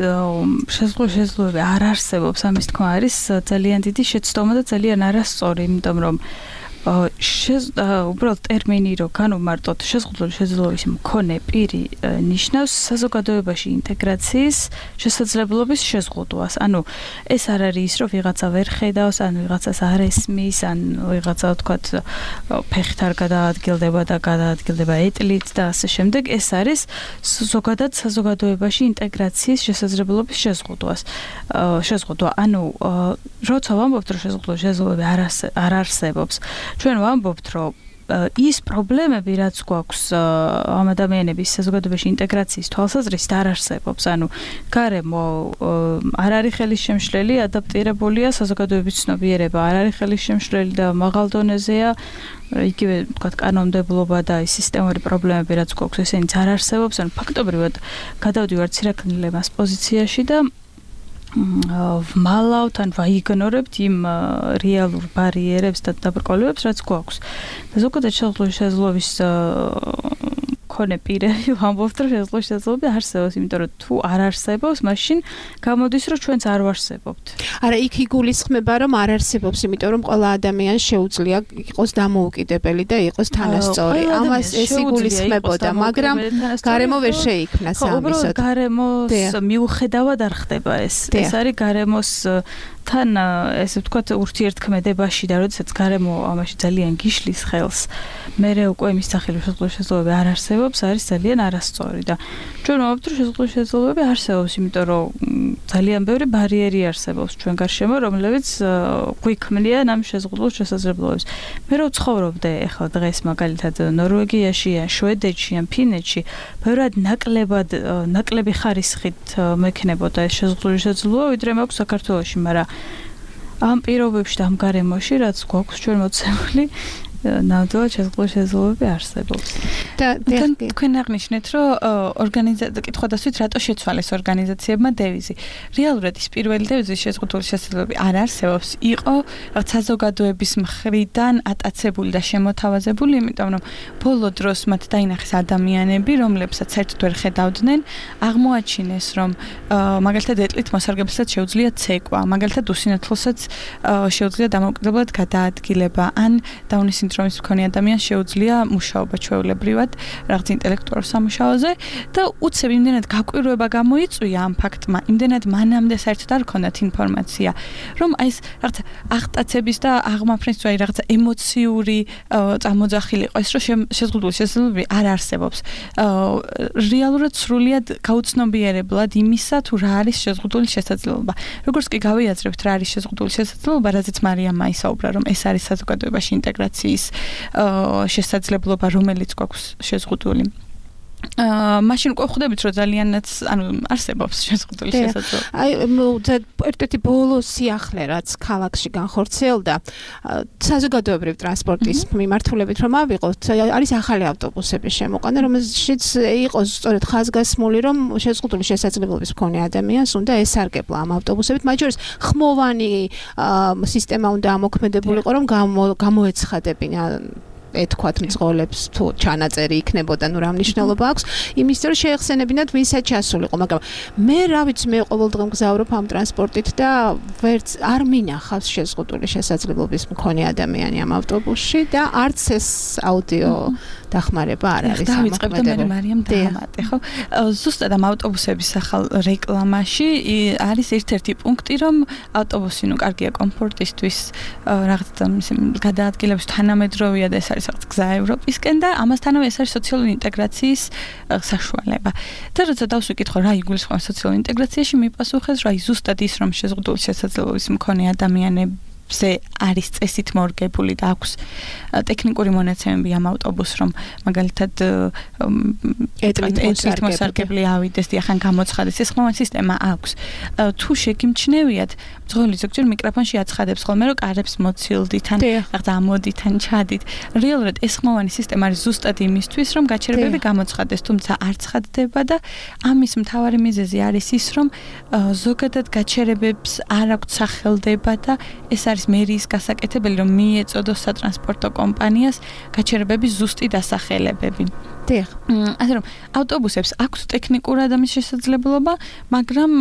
Speaker 5: შეზღუდული შესაძლებლობები არ არსებობს, ამის თქმა არის ძალიან დიდი შეცდომა და ძალიან არასწორი, იმიტომ რომ შეზ უბრალოდ ტერმინი რო განვმარტოთ შეზღუდული შესაძლებლობის მქონე პირი ნიშნავს საზოგადოებაში ინტეგრაციის შესაძლებლობის შეზღუდვას. ანუ ეს არ არის ის, რომ ვიღაცა ვერ ხედავს, ან ვიღაცას არ ესმის, ან ვიღაცა თქვათ ფეხით არ გადაადგილდება და გადაადგილდება ეტლით და ასე შემდეგ. ეს არის ზოგადად საზოგადოებაში ინტეგრაციის შესაძლებლობის შეზღუდვას. შეზღუდვა. ანუ როცა ვამბობთ, რომ შეზღუდული შესაძლებლობები არ არსებობს, ჩვენ ვამბობთ, რომ ის პრობლემები, რაც გვაქვს ამ ადამიანების საზოგადოებაში ინტეგრაციის თვალსაზრისით არ არსებობს. ანუ გარემო არ არის ხელისშემშლელი, ადაპტირებულია, საზოგადოების ცნობიერება არ არის ხელისშემშლელი და მაღალ დონეზეა. იგივე თქვათ კანონმდებლობა და ის სისტემური პრობლემები, რაც გვაქვს, ესენიც არ არსებობს. ანუ ფაქტობრივად გადავდივართ ცირაკნილებას პოზიციაში და ვმალავთ ან ვაიგნორებთ იმ რეალურ ბარიერებს და დაბრკოლებებს, რაც გვაქვს. და ზოგადად შეზღუდული შესაძლებლობის მქონე პირები ვამბობთ, რომ შეზღუდული შესაძლებლობები არსებობს, იმიტომ რომ თუ არ არსებობს, მაშინ გამოდის, რომ ჩვენც არ ვარსებობთ.
Speaker 3: არა, იქ იგულისხმება, რომ არ არსებობს, იმიტომ რომ ყველა ადამიანს შეუძლია იყოს დამოუკიდებელი და იყოს თანასწორი. ამას ეს იგულისხმებოდა, მაგრამ გარემო ვერ შეიქმნა სამისოდ.
Speaker 5: უბრალოდ გარემოს მიუხედავად არ ხდება ეს. ეს არის გარემოს თან ესე ვთქვათ ურთიერთქმედებაში და როდესაც გარემო ამაში ძალიან გიშლის ხელს, მერე უკვე მის სახელი შეზღუდული შესაძლებლობები არ არსებობს, არის ძალიან არასწორი და ჩვენ ვამბობთ, რომ შეზღუდული შესაძლებლობები არსებობს, იმიტომ რომ ძალიან ბევრი ბარიერი არსებობს ჩვენ გარშემო, რომლებიც გვიქმნიან ამ შეზღუდულ შესაძლებლობებს. მე რო ცხოვრობდე ახლა დღეს მაგალითად ნორვეგიაში, შვედეთში, ფინეთში, ბევრად ნაკლებად ნაკლები ხარისხით მექნებოდა ეს შეზღუდული შესაძლებლობა, ვიდრე მაქვს საქართველოში, მაგრამ ამ პირობებში და ამ გარემოში, რაც გვაქვს ჩვენ მოცემული, ნამდვილად შეზღუდული შესაძლებლობები არსებობს.
Speaker 6: და თქვენ აღნიშნეთ, რომ ორგანიზაცია კითხვა დასვით რატო შეცვალეს ორგანიზაციებმა დევიზი. რეალურად ის პირველი დევიზი შეზღუდული შესაძლებლობები არ არსებობს. იყო საზოგადოების მხრიდან ატაცებული და შემოთავაზებული, იმიტომ რომ ბოლო დროს მათ დაინახეს ადამიანები, რომლებსაც საერთოდ ვერ ხედავდნენ, აღმოაჩინეს, რომ მაგალითად ეტლით მოსარგებლებსაც შეუძლია ცეკვა, მაგალითად უსინათლოსაც შეუძლია დამოუკიდებლად გადაადგილება, ან დაუნის სინდრომის მქონე ადამიანს შეუძლია მუშაობა ჩვეულებრივად რაღაც ინტელექტუალურ სამუშაოზე და უცებ იმდენად გაკვირვება გამოიწვია ამ ფაქტმა, იმდენად მანამდე საერთოდ არ ჰქონდათ ინფორმაცია, რომ აი ეს რაღაც აღტაცების და აღმაფრენის თუ აი რაღაცა ემოციური წამოძახილი იყო ეს, რომ შეზღუდული შესაძლებლობები არ არსებობს. რეალურად სრულიად გაუცნობიერებლად იმისა, თუ რა არის შეზღუდული შესაძლებლობა. როგორც კი გავიაზრებთ რა არის შეზღუდული შესაძლებლობა, რაზეც მარიამმა ისაუბრა, რომ ეს არის საზოგადოებაში ინტეგრაციის შესაძლებლობა, რომელიც გვაქვს შეზღუდული. აა მაშინ უკვე ხვდებით რომ ძალიანაც ანუ არსებობს შეზღუდული შესაძლებლობა.
Speaker 3: აი ერთ-ერთი ბოლო სიახლე რაც ქალაქში განხორციელდა საზოგადოებრივ ტრანსპორტის მიმართულებით რომ ავიღოთ არის ახალი ავტობუსების შემოყვანა რომელშიც იყოს სწორედ ხაზგასმული რომ შეზღუდული შესაძლებლობის მქონე ადამიანს უნდა ესარგებლა ამ ავტობუსებით მათ შორის ხმოვანი სისტემა უნდა ამოქმედებულიყო რომ გამოეცხადებინა ეთქვათ მძღოლებს თუ ჩანაწერი იქნებოდა ნუ რა მნიშვნელობა აქვს იმის რომ შეეხსენებინათ ვინსაც ჩასულიყო მაგრამ მე რა ვიცი მე ყოველდღე მგზავრობ ამ ტრანსპორტით და ვერც არ მინახავს შეზღუდული შესაძლებლობის მქონე ადამიანი ამ ავტობუსში და არც ეს აუდიო დახმარება არ არის
Speaker 6: ამოქმედებული. და მე მარიამ დაამატე ხო ზუსტად ამ ავტობუსების ახალ რეკლამაში არის ერთ-ერთი პუნქტი რომ ავტობუსი ნუ კარგია კომფორტისთვის რაღაცა გადაადგილების თანამედროვეა და ეს არის რაღაც გზა ევროპისკენ და ამასთანავე ეს არის სოციალური ინტეგრაციის საშუალება. და როცა დავსვიკითხო რა იგულისხმება სოციალურ ინტეგრაციაში მიპასუხეს რა ზუსტად ის რომ შეზღუდული შესაძლებლობის მქონე ადამიანები ზე არის წესით მორგებული და აქვს ტექნიკური მონაცემები ამ ავტობუსს რომ მაგალითად ეთნიკ მოსარგებლე ავიდეს და ახან გამოცხადეს ეს ხმოვანი სისტემა აქვს თუ შეგიმჩნევიათ მძღოლი ზოგჯერ მიკროფონში აცხადებს ხოლმე რომ კარებს მოცილდით ან რაღაცა ამოდით ან ჩადით რეალურად ეს ხმოვანი სისტემა არის ზუსტად იმისთვის რომ გაჩერებები გამოცხადეს თუმცა არ ცხადდება და ამის მთავარი მიზეზი არის ის რომ ზოგადად გაჩერებებს არ აქვს სახელდება და ეს არის მერიის გასაკეთებელი რომ მიეწოდოს სატრანსპორტო კომპანიას გაჩერებების ზუსტი დასახელებები.
Speaker 3: დიახ.
Speaker 6: ასე რომ ავტობუსებს აქვს ტექნიკურად ამის შესაძლებლობა, მაგრამ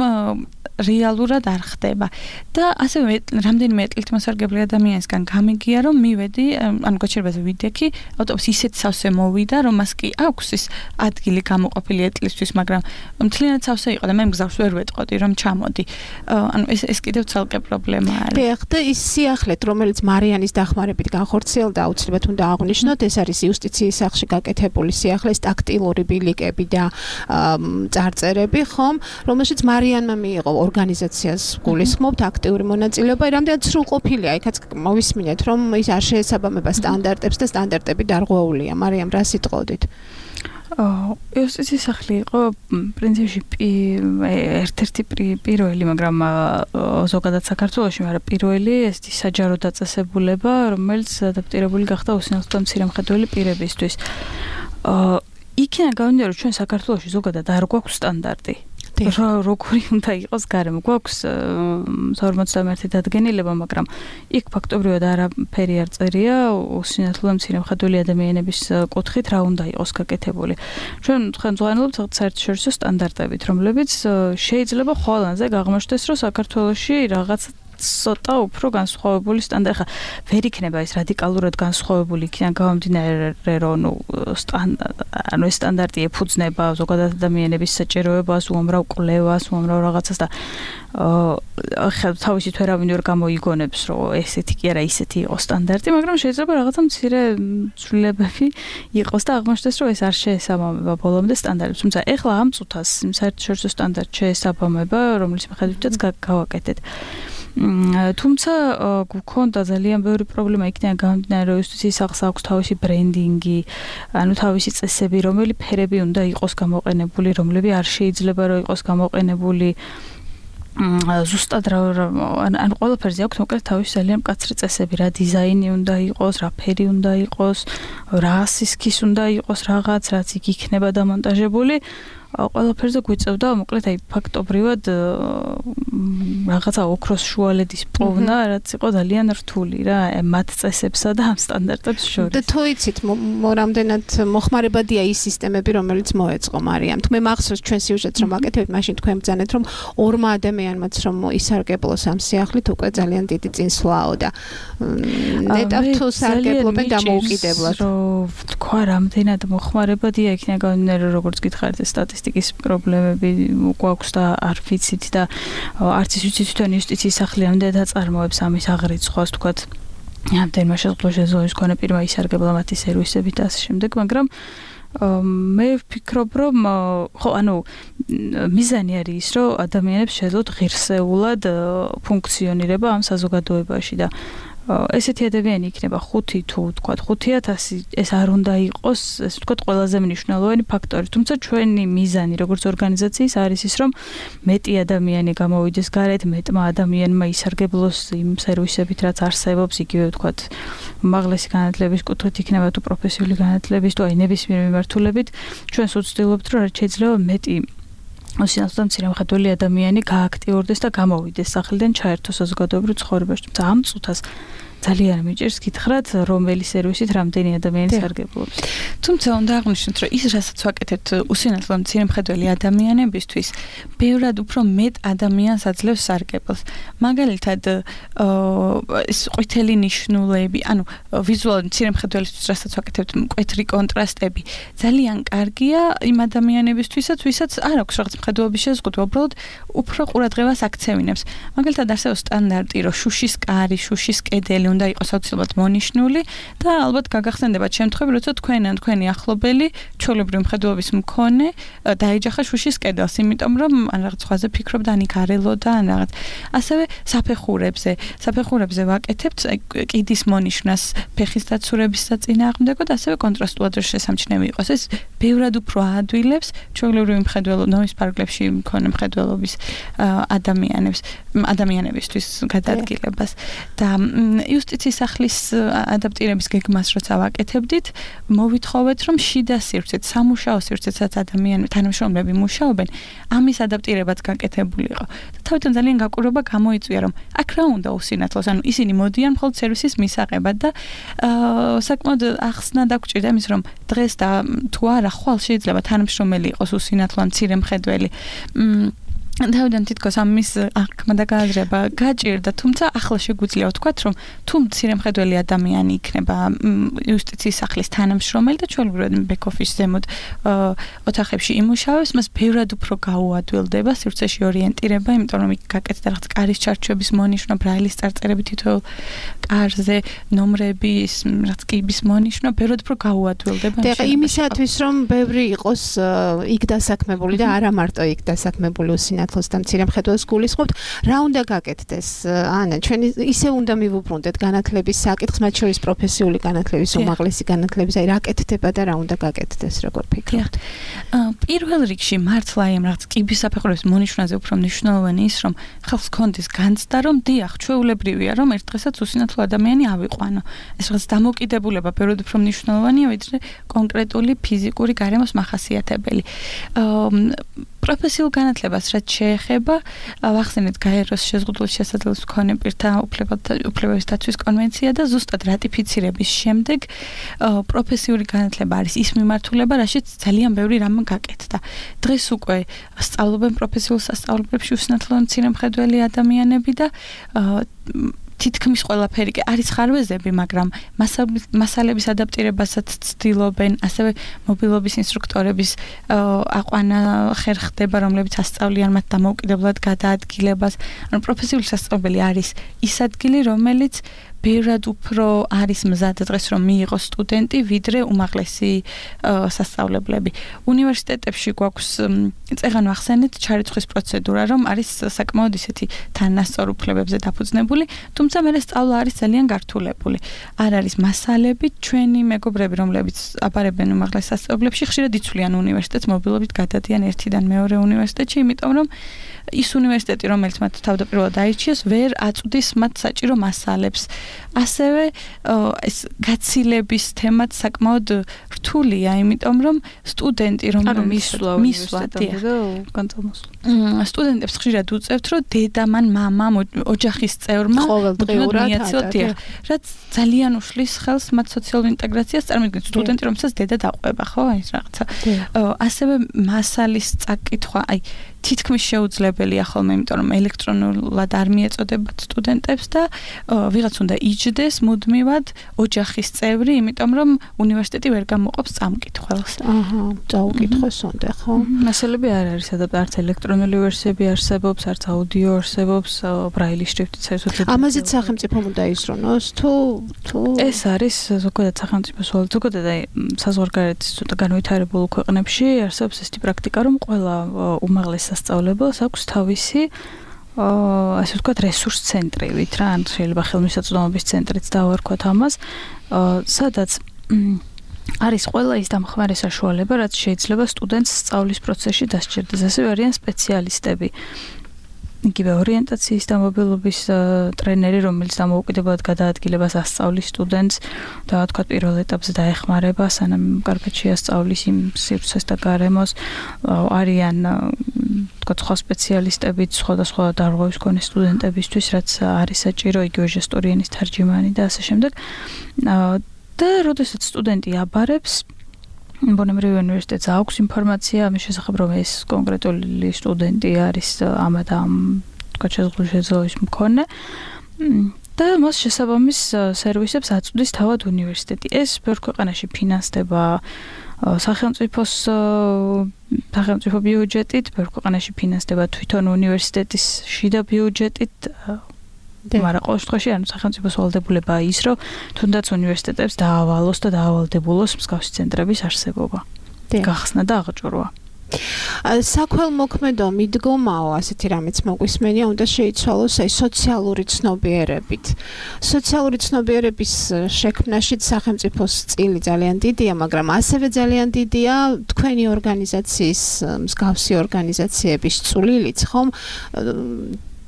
Speaker 6: რეალურად არ ხდება. და ასევე რამდენიმე ეტლით მოსარგებლე ადამიანისგან გამიგია რომ მივედი, ანუ გაჩერებაზე ვიდექი, ავტობუსი ისეთ სავსე მოვიდა, რომ მას კი აქვს ის ადგილი გამოყოფილი ეტლისთვის, მაგრამ მთლიანად სავსე იყო და მე მგზავს ვერ ვეტყოდი რომ ჩამოდი. ანუ ეს ეს კიდევ ცალკე პრობლემა არის.
Speaker 3: დიახ, და ის სიახლეთ, რომელიც მარიანის დახმარებით განხორციელდა, აუცილებლად უნდა აღვნიშნოთ, ეს არის იუსტიციის სახლში გაკეთებული სიახლე, ტაქტილური ბილიკები და წარწერები, ხომ, რომელშიც მარიანმა მიიღო ორგანიზაციას გულისხმობთ აქტიური მონაწილეობა, რამდენად სრულყოფილია, იქაც მოვისმინეთ, რომ ის არ შეესაბამება სტანდარტებს და სტანდარტები დარღვეულია. მარიამ, რა სიტყოდით?
Speaker 5: იუსტიციის სახლი იყო პრინციპში ერთ-ერთი პირველი, მაგრამ ზოგადად საქართველოში, მაგრამ პირველი ესეთი საჯარო დაწესებულება, რომელიც ადაპტირებული გახდა უსინათლო და მცირემხედველი პირებისთვის. იქიდან გამომდინარე, რომ ჩვენ საქართველოში ზოგადად არ გვაქვს სტანდარტი. როგორი უნდა იყოს გარემო. გვაქვს სამოცდამეერთე დადგენილება, მაგრამ იქ ფაქტობრივად არაფერი არ წერია უსინათლო და მცირემხედველი ადამიანების კუთხით რა უნდა იყოს გაკეთებული. ჩვენ ხელმძღვანელობთ საერთაშორისო სტანდარტებით, რომლებიც შეიძლება ხოლმე გაღმოჩნდეს, რომ საქართველოში რაღაც ცოტა უფრო განსხვავებული სტანდარტი. ხა ვერ იქნება ეს რადიკალურად განსხვავებული იქიდან გამომდინარე, რომ ნუ ანუ ეს სტანდარტი ეფუძნება ზოგადად ადამიანების საჭიროებას, უამრავ კვლევას, უამრავ რაღაცას და ხა თავისით ვერავინ ვერ გამოიგონებს, რომ ესეთი კი არა, ისეთი იყოს სტანდარტი, მაგრამ შეიძლება რაღაცა მცირე ცვლილებები იყოს და აღმოჩნდეს, რომ ეს არ შეესაბამება ბოლომდე სტანდარტებს. თუმცა ეხლა ამ წუთას საერთაშორისო სტანდარტი შეესაბამება, რომლის მიხედვითაც გავაკეთეთ. თუმცა გქონდა ძალიან ბევრი პრობლემა იქიდან გამომდინარე, რომ იუსტიციის სახლს აქვს თავისი ბრენდინგი, ანუ თავისი წესები, რომელი ფერები უნდა იყოს გამოყენებული, რომლები არ შეიძლება რომ იყოს გამოყენებული ზუსტად რა ან ყველაფერზე აქვს მოკლედ თავისი ძალიან მკაცრი წესები, რა დიზაინი უნდა იყოს, რა ფერი უნდა იყოს, რა სისქის უნდა იყოს რაღაც, რაც იქ იქნება დამონტაჟებული. ყველაფერზე გვიწევდა მოკლედ აი ფაქტობრივად რაღაცა ოქროს შუალედის პოვნა, რაც იყო ძალიან რთული რა მათ წესებსა და ამ სტანდარტებს შორის.
Speaker 3: და თუ იცით რამდენად მოხმარებადია ის სისტემები, რომელიც მოეწყო მარიამ. თუ მე მახსოვს ჩვენ სიუჟეტს რომ ვაკეთებთ, მაშინ თქვენ ბრძანეთ რომ ორმა ადამიანმაც რომ ისარგებლოს ამ სიახლით უკვე ძალიან დიდი წინსვლაო და ნეტავ თუ სარგებლობენ დამოუკიდებლად.
Speaker 5: რომ თქვა რამდენად მოხმარებადია იქნება გამომდინარე, როგორც გითხარით სტატისტიკის პრობლემები გვაქვს და არ ვიცით და არც ის ვიცით თვითონ იუსტიციის სახლი ამდენად აწარმოებს ამის აღრიცხვას, თქვათ ამდენმა შეზღუდული შესაძლებლობის მქონე პირმა ისარგებლა მათი სერვისებით და ასე შემდეგ, მაგრამ მე ვფიქრობ, რომ ხო, ანუ მიზანი არის ის, რომ ადამიანებს შეძლოთ ღირსეულად ფუნქციონირება ამ საზოგადოებაში და ესეთი ადამიანი იქნება ხუთი თუ თქვა ხუთი ათასი, ეს არ უნდა იყოს, ეს თქვა ყველაზე მნიშვნელოვანი ფაქტორი. თუმცა ჩვენი მიზანი როგორც ორგანიზაციის არის ის, რომ მეტი ადამიანი გამოვიდეს გარეთ, მეტმა ადამიანმა ისარგებლოს იმ სერვისებით, რაც არსებობს, იგივე თქვა უმაღლესი განათლების კუთხით იქნება თუ პროფესიული განათლების თუ აი ნებისმიერ მიმართულებით, ჩვენს ვცდილობთ, რომ რაც შეიძლება მეტი ოსინათლო მცირემხედველი ადამიანი გააქტიურდეს და გამოვიდეს სახლიდან, ჩაერთოს საზოგადოებრივ ცხოვრებაში. თუმცა ამ წუთას ძალიან მიჭირს გითხრათ, რომელი სერვისით რამდენი ადამიანი სარგებლობს.
Speaker 6: თუმცა უნდა აღვნიშნოთ, რომ ის რასაც ვაკეთებთ უსინათლო მცირემხედველი ადამიანებისთვის, ბევრად უფრო მეტ ადამიანს აძლევს სარგებელს. მაგალითად, ეს ყვითელი ნიშნულები, ანუ ვიზუალური მცირემხედველისთვის რასაც ვაკეთებთ, მკვეთრი კონტრასტები, ძალიან კარგია იმ ადამიანებისთვისაც, ვისაც არ აქვს რაღაც მხედველობის შეზღუდვა, უბრალოდ უფრო ყურადღებას აქცევინებს. მაგალითად, არსებობს სტანდარტი, რომ შუშის კარი, შუშის კედელი უნდა იყოს აუცილებლად მონიშნული და ალბათ გაგახსენდებათ შემთხვევები, როცა თქვენ ან თქვენი ახლობელი ჩვეულებრივი მხედველობის მქონე დაეჯახა შუშის კედელს, იმიტომ რომ ან რაღაც სხვაზე ფიქრობდა, ან იქ არ ელოდა, ან რაღაც. ასევე საფეხურებზე, საფეხურებზე ვაკეთებთ კიდის მონიშნას ფეხის დაცურების საწინააღმდეგოდ, ასევე კონტრასტულად რომ შესამჩნევი იყოს. ეს ბევრად უფრო აადვილებს ჩვეულებრივი მხედველობის ნომის პარკლებში მქონე მხედველობის ადამიანებს, ადამიანებისთვის გადაადგილებას და იუსტიციის სახლის ადაპტირების გეგმას როცა ვაკეთებდით, მოვითხოვეთ, რომ შიდა სივრცეთ, სამუშაო სივრცეცაც ადამიანები, თანამშრომლები მუშაობენ, ამის ადაპტირებაც გაკეთებული იყო. და თავიდან ძალიან გაკვირვება გამოიწვია, რომ აქ რა უნდა უსინათლოს, ანუ ისინი მოდიან მხოლოდ სერვისის მისაღებად და საკმაოდ ახსნა დაგვჭირდა იმის, რომ დღეს და თუ არა, ხვალ შეიძლება თანამშრომელი იყოს უსინათლო მცირე მხედველი. თავიდან თითქოს ამის აღქმა და გააზრება გაჭირდა, თუმცა ახლა შეგვიძლია ვთქვათ, რომ თუ მცირე მხედველი ადამიანი იქნება იუსტიციის სახლის თანამშრომელი და ჩვეულებრივად ბექ-ოფისში ზემოთ ოთახებში იმუშავებს, მას ბევრად უფრო გაუადვილდება სივრცეში ორიენტირება, იმიტომ რომ იქ გაკეთდა რაღაც კარის ჩარჩოების მონიშნვა, ბრაილის წარწერები თითოეულ კარზე, ნომრების, რაღაც კიბის მონიშნვა, ბევრად უფრო გაუადვილდება.
Speaker 3: და იმისათვის, რომ ბევრი იყოს იქ დასაქმებული და არა მარტო იქ დასაქმებული უსინათლო და მცირე მხედველს გულისხმობთ, რა უნდა გაკეთდეს? ანა, ჩვენ ისე უნდა მივუბრუნდეთ განათლების საკითხს, მათ შორის პროფესიული განათლების, უმაღლესი განათლების, აი რა კეთდება და რა უნდა გაკეთდეს, როგორ ფიქრობთ?
Speaker 6: პირველ რიგში მართლა იმ რაღაც კიბის საფეხურების მონიშნვაზე უფრო მნიშვნელოვანი ის, რომ ხალხს კონდეს განცდა, რომ დიახ, ჩვეულებრივია, რომ ერთ დღესაც უსინათლო ადამიანი ავიყვანო. ეს რაღაც დამოკიდებულება ბევრად უფრო მნიშვნელოვანია, ვიდრე კონკრეტული ფიზიკური გარემოს მახასიათებელი. პროფესიულ განათლებას რაც შეეხება, ვახსენეთ გაეროს შეზღუდული შესაძლებლობის მქონე პირთა უფლებების დაცვის კონვენცია და ზუსტად რატიფიცირების შემდეგ პროფესიული განათლება არის ის მიმართულება, რაშიც ძალიან ბევრი რამ გაკეთდა. დღეს უკვე სწავლობენ პროფესიულ სასწავლებლებში უსინათლო მცირე მხედველი ადამიანები და თითქმის ყველაფერი კი არის ხარვეზები, მაგრამ მასალების ადაპტირებასაც ცდილობენ, ასევე მობილობის ინსტრუქტორების აყვანა ხერხდება, რომლებიც ასწავლიან მათ დამოუკიდებლად გადაადგილებას. ანუ პროფესიული სასწავლებელი არის ის ადგილი, რომელიც ბევრად უფრო არის მზად დღეს რომ მიიღოს სტუდენტი, ვიდრე უმაღლესი სასწავლებლები. უნივერსიტეტებში გვაქვს წეღან ვახსენეთ ჩარიცხვის პროცედურა, რომ არის საკმაოდ ისეთი თანასწორ უფლებებზე დაფუძნებული, თუმცა მერე სწავლა არის ძალიან გართულებული. არ არის მასალები, ჩვენი მეგობრები, რომლებიც აბარებენ უმაღლეს სასწავლებლებში, ხშირად იცვლიან უნივერსიტეტს, მობილობით გადადიან ერთიდან მეორე უნივერსიტეტში, იმიტომ რომ ის უნივერსიტეტი, რომელიც მათ თავდაპირველად აირჩიეს, ვერ აწვდის მათ საჭირო მასალებს. ასევე ეს გაცილების თემაც საკმაოდ რთულია, იმიტომ რომ სტუდენტი რომელიც
Speaker 5: მისვლა
Speaker 6: მისვლა
Speaker 5: განწარმოსვლა
Speaker 6: სტუდენტებს ხშირად უწევთ, რომ დედამან, მამამ, ოჯახის წევრმა
Speaker 3: ყოველდღიურად
Speaker 6: რაც ძალიან უშლის ხელს მათ სოციალურ ინტეგრაციას, წარმოიდგინეთ სტუდენტი, რომელსაც დედა დაყვება, ხო, ეს რაღაცა. ასევე მასალის წაკითხვა, აი თითქმის შეუძლებელია ხოლმე, იმიტომ რომ ელექტრონულად არ მიეწოდებათ სტუდენტებს და ვიღაც უნდა იჯდეს მუდმივად ოჯახის წევრი, იმიტომ რომ უნივერსიტეტი ვერ გამოყოფს წამკითხველს.
Speaker 3: აჰა, წაუკითხოს უნდა, ხო?
Speaker 5: მასალები არ არის ადაპტირებული, არც ელექტრონული ვერსიები არსებობს, არც აუდიო არსებობს, ბრაილის შრიფტიც საერთოდ.
Speaker 3: ამაზეც სახელმწიფომ უნდა ისრონოს, თუ თუ
Speaker 5: ეს არის ზოგადად სახელმწიფოს ვალ, ზოგადად აი საზღვარგარეთის ცოტა განვითარებულ ქვეყნებში არსებობს ესეთი პრაქტიკა, რომ ყველა უმაღლეს სასწავლებელს აქვს თავისი ასე ვთქვათ, რესურს ცენტრივით რა, ან შეიძლება ხელმისაწვდომობის ცენტრიც დავარქვათ ამას, სადაც არის ყველა ის დამხმარე საშუალება, რაც შეიძლება სტუდენტს სწავლის პროცესში დასჭირდეს. ასევე არიან სპეციალისტები. იგივე ორიენტაციის და მობილობის ტრენერი, რომელიც დამოუკიდებლად გადაადგილებას ასწავლის სტუდენტს და თქვა პირველ ეტაპზე დაეხმარება, სანამ კარგად შეასწავლის იმ სივრცეს და გარემოს. არიან თქვა სხვა სპეციალისტებიც, სხვადასხვა დარღვევის მქონე სტუდენტებისთვის, რაც არის საჭირო, იგივე ჟესტური ენის თარჯიმანი და ასე შემდეგ. და როდესაც სტუდენტი აბარებს, ბუნებრივი უნივერსიტეტს აქვს ინფორმაცია ამის შესახებ, რომ ეს კონკრეტული სტუდენტი არის ამ და ამ თქვა შეზღუდული შეძლების მქონე და მას შესაბამის სერვისებს აწვდის თავად უნივერსიტეტი. ეს ბევრ ქვეყანაში ფინანსდება სახელმწიფოს სახელმწიფო ბიუჯეტით, ბევრ ქვეყანაში ფინანსდება თვითონ უნივერსიტეტის შიდა ბიუჯეტით. მაგრამ ყოველ შემთხვევაში ანუ სახელმწიფოს ვალდებულებაა ის, რომ თუნდაც უნივერსიტეტებს დაავალოს და დაავალდებულოს მსგავსი ცენტრების არსებობა. გახსნა და აღჭურვა.
Speaker 3: საქველმოქმედო მიდგომაო, ასეთი რამეც მოგვისმენია, უნდა შეიცვალოს აი სოციალური ცნობიერებით. სოციალური ცნობიერების შექმნაშიც სახელმწიფოს წილი ძალიან დიდია, მაგრამ ასევე ძალიან დიდია თქვენი ორგანიზაციის, მსგავსი ორგანიზაციების წვლილიც, ხომ?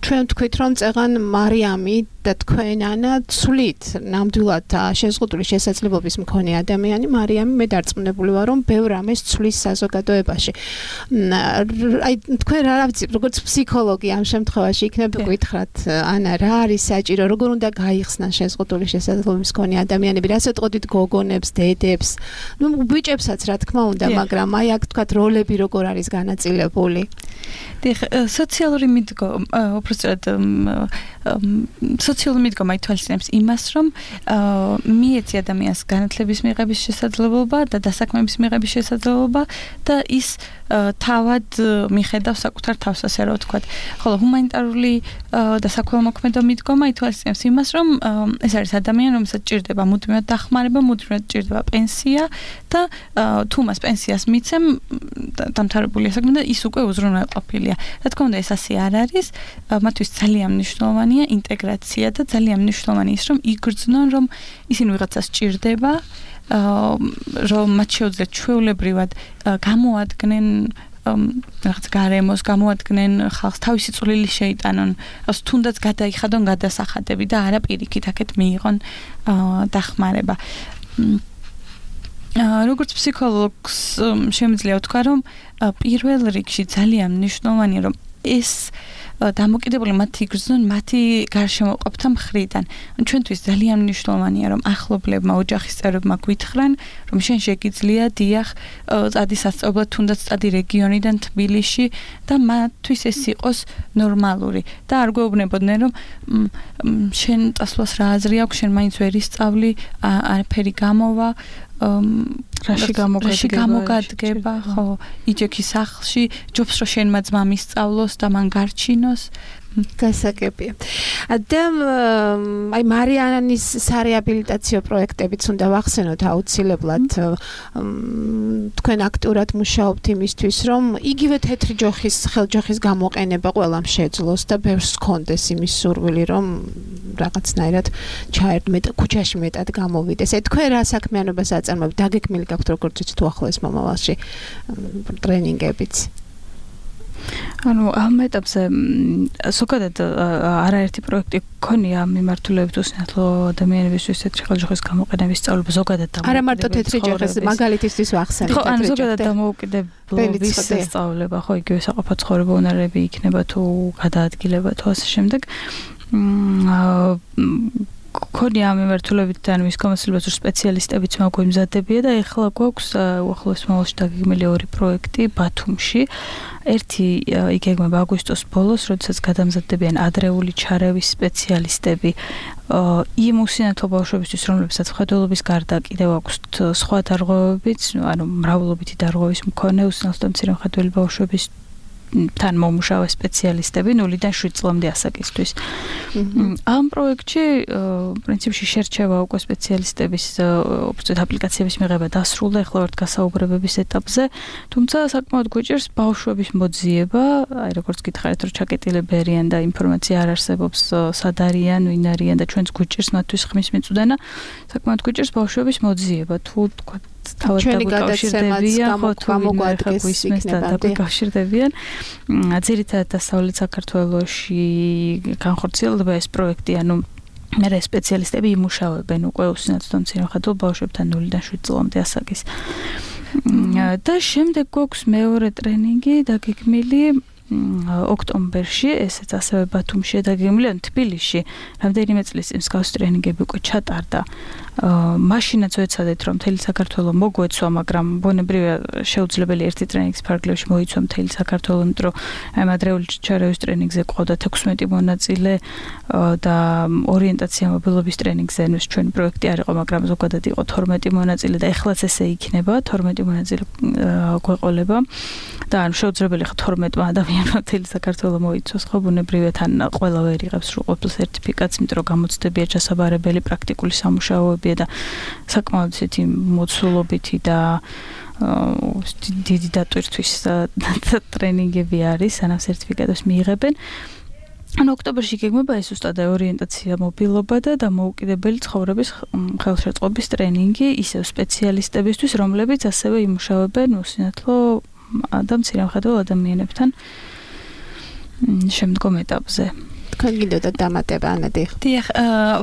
Speaker 3: ჩვენ თქვით, რომ წეღან მარიამი და თქვენ ანა ცვლით ნამდვილად შეზღუდული შესაძლებლობის მქონე ადამიანი მარიამი მე დარწმუნებული ვარ, რომ ბევრ ამას ცვლის საზოგადოებაში. აი თქვენ რა ვიცი, როგორც ფსიქოლოგი ამ შემთხვევაში იქნება გითხრათ, ანა რა არის საჭირო, როგორ უნდა გაიხსნან შეზღუდული შესაძლებლობის მქონე ადამიანები, რაც ეტყოდით გოგონებს, დედებს, ნუ ბიჭებსაც რა თქმა უნდა, მაგრამ აი აქ თქვათ როლები როგორ არის განაწილებული.
Speaker 6: დიახ, სოციალური მიდგომა, უბრალოდ სოციალური მიდგომა ითვალისწინებს იმას, რომ მიეცი ადამიანს განათლების მიღების შესაძლებლობა და დასაქმების მიღების შესაძლებლობა და ის თავად მიხედავს საკუთარ თავს, ასე რომ ვთქვათ. ხოლო ჰუმანიტარული და საქველმოქმედო მიდგომა ითვალისწინებს იმას, რომ ეს არის ადამიანი, რომელსაც ჭირდება მუდმივად დახმარება, მუდმივად ჭირდება პენსია და თუ მას პენსიას მიცემ, დამთავრებულია საქმე და ის უკვე უზრუნველყოფილია. რა თქმა უნდა, ეს ასე არ არის, მათთვის ძალიან მნიშვნელოვანია ინტეგრაცია და ძალიან მნიშვნელოვანია ის, რომ იგრძნონ, რომ ისინი ვიღაცას ჭირდება, რომ მათ შეუძლიათ ჩვეულებრივად გამოადგნენ რაღაც გარემოს, გამოადგნენ ხალხს, თავისი წვლილი შეიტანონ, თუნდაც გადაიხადონ გადასახადები და არა პირიქით აქეთ მიიღონ დახმარება. როგორც ფსიქოლოგს შემიძლია ვთქვა, რომ პირველ რიგში ძალიან მნიშვნელოვანია, რომ ეს დამოკიდებული მათი იგრძნონ მათი გარშემოყოფთა მხრიდან. ჩვენთვის ძალიან მნიშვნელოვანია, რომ ახლობლებმა, ოჯახის წევრებმა გვითხრან, რომ შენ შეგიძლია დიახ, წადი სასწავლებლად, თუნდაც წადი რეგიონიდან თბილისში და მათთვის ეს იყოს ნორმალური და არ გვეუბნებოდნენ, რომ შენ წასვლას რა აზრი აქვს, შენ მაინც ვერ ისწავლი, არაფერი გამოვა,
Speaker 5: რაში
Speaker 6: გამოგადგება, ხო, იჯექი სახლში, ჯობს რომ შენმა ძმამ ისწავლოს და მან გარჩინოს.
Speaker 3: გასაგებია. და აი მარიანის სარეაბილიტაციო პროექტებიც უნდა ვახსენოთ აუცილებლად. თქვენ აქტიურად მუშაობთ იმისთვის, რომ იგივე თეთრი ჯოხის, ხელჯოხის გამოყენება ყველამ შეძლოს და ბევრს ჰქონდეს იმის სურვილი, რომ რაღაცნაირად ჩაერთმეთ, ქუჩაში მეტად გამოვიდეს. აი თქვენ რა საქმიანობას აწარმოებთ? დაგეგმილი გაქვთ როგორც იცით უახლოეს მომავალში ტრენინგებიც?
Speaker 5: ანუ ამ ეტაპზე ზოგადად არაერთი პროექტი გქონია მიმართულებით უსინათლო ადამიანებისთვის თეთრი ხელჯოხის გამოყენების სწავლება ზოგადად და
Speaker 3: არა მარტო თეთრი ჯოხის მაგალითისთვის ვახსენებ
Speaker 5: ხო ანუ ზოგადად დამოუკიდებლობის სწავლება ხო იგივე საყოფო ცხოვრება უნარები იქნება თუ გადაადგილება თუ ასე შემდეგ გქონია ამ მიმართულებით და მის გამოცდილებას სპეციალისტებიც მოგვიმზადებია და ეხლა გვაქვს უახლოეს მომავალში დაგეგმილი ორი პროექტი ბათუმში. ერთი იგეგმება აგვისტოს ბოლოს, როდესაც გადამზადდებიან ადრეული ჩარევის სპეციალისტები იმ უსინათლო ბავშვებისთვის, რომლებსაც მხედველობის გარდა კიდევ აქვთ სხვა დარღვევებიც, ანუ მრავლობითი დარღვევის მქონე უსინათლო და მცირე მხედველი ბავშვების თან მომუშავე სპეციალისტები ნულიდან შვიდ წლამდე ასაკისთვის. ამ პროექტში პრინციპში შერჩევა უკვე სპეციალისტების უბრალოდ აპლიკაციების მიღება დასრულდა, ახლა ვართ გასაუბრებების ეტაპზე, თუმცა საკმაოდ გვიჭირს ბავშვების მოძიება, აი როგორც გითხარით, რომ ჩაკეტილები არიან და ინფორმაცია არ არსებობს, სად არიან, ვინ არიან და ჩვენც გვიჭირს მათთვის ხმის მიწვდენა, საკმაოდ გვიჭირს ბავშვების მოძიება, თუ თქვა თავად დაკავშირდებიან, ხო თუ მოგვადგეს და დაკავშირდებიან. ძირითადად დასავლეთ საქართველოში განხორციელდება ეს პროექტი, ანუ მე სპეციალისტები იმუშავებენ უკვე უსინათლო მცირეხადო ბავშვებთან ნულიდან შვიდ წლამდე ასაკის. და შემდეგ გვაქვს მეორე ტრენინგი დაგეგმილი ოქტომბერში, ესეც ასევე ბათუმში დაგეგმილი, ან თბილისში. რამდენიმე წლის წინ მსგავსი ტრენინგები უკვე ჩატარდა. მაშინაც ვეცადეთ, რომ მთელი საქართველო მოგვეცვა, მაგრამ ბუნებრივია შეუძლებელი ერთი ტრენინგის ფარგლებში მოიცვა მთელი საქართველო, იმიტომ რომ აი ადრეული ჩარევის ტრენინგზე ყავდა თექვსმეტი მონაწილე და ორიენტაცია მობილობის ტრენინგზე ნუ ჩვენი პროექტი არ იყო, მაგრამ ზოგადად იყო თორმეტი მონაწილე და ეხლაც ესე იქნება, თორმეტი მონაწილე გვეყოლება და ანუ შეუძლებელი ხო თორმეტმა ადამიანმა მთელი საქართველო მოიცვას, ხო ბუნებრივია თან ყველა ვერ იღებს სრულყოფილ სერტიფიკატს, იმიტომ რომ გამოცდებია ჩასაბარებელი პრაქტიკული სამუშაოები და საკმაოდ ისეთი მოცულობითი და დიდი დატვირთვის ტრენინგები არის, სანამ სერტიფიკატებს მიიღებენ. ანუ ოქტომბერში გეგმება ეს უსტადა ორიენტაცია მობილობა და დამოუკიდებელი ცხოვრების ხელშეწყობის ტრენინგი ისევ სპეციალისტებისთვის, რომლებიც ასევე იმუშავებენ უსინათლო და მცირემხედველ ადამიანებთან შემდგომ ეტაპზე.
Speaker 3: თქვენ გინდოდა დამატება ანადი?
Speaker 6: დიახ,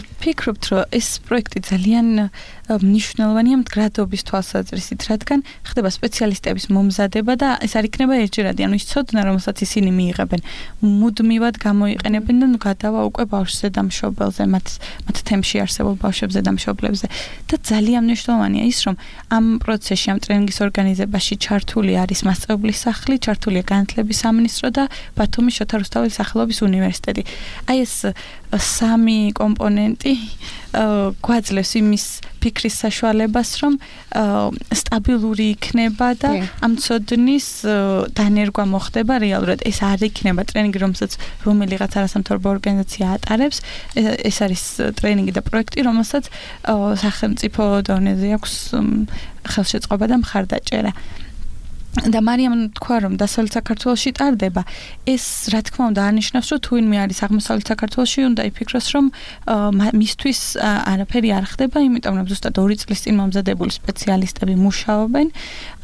Speaker 6: ვფიქრობთ, რომ ეს პროექტი ძალიან მნიშვნელოვანია მდგრადობის თვალსაზრისით, რადგან ხდება სპეციალისტების მომზადება და ეს არ იქნება ერთჯერადი, ანუ ის ცოდნა, რომელსაც ისინი მიიღებენ, მუდმივად გამოიყენებენ და გადავა უკვე ბავშვზე და მშობელზე, მათ მათ თემში არსებულ ბავშვებზე და მშობლებზე. და ძალიან მნიშვნელოვანია ის, რომ ამ პროცესში, ამ ტრენინგის ორგანიზებაში ჩართული არის მასწავლებლის სახლი, ჩართულია განათლების სამინისტრო და ბათუმის შოთა რუსთაველის სახელობის უნივერსიტეტი. აი ეს სამი კომპონენტი გვაძლევს იმის ფიქრის საშუალებას, რომ სტაბილური იქნება და ამ ცოდნის დანერგვა მოხდება რეალურად. ეს არ იქნება ტრენინგი, რომელსაც რომელიღაც არასამთავრობო ორგანიზაცია ატარებს. ეს არის ტრენინგი და პროექტი, რომელსაც სახელმწიფო დონეზე აქვს ხელშეწყობა და მხარდაჭერა. და მარიამ თქვა, რომ დასავლეთ საქართველოში ტარდება, ეს რა თქმა უნდა არნიშნავს, რომ თუ ვინმე არის აღმოსავლეთ საქართველოში, უნდა იფიქროს, რომ მისთვის არაფერი არ ხდება, იმიტომ რომ ზუსტად ორი წლის წინ მომზადებული სპეციალისტები მუშაობენ,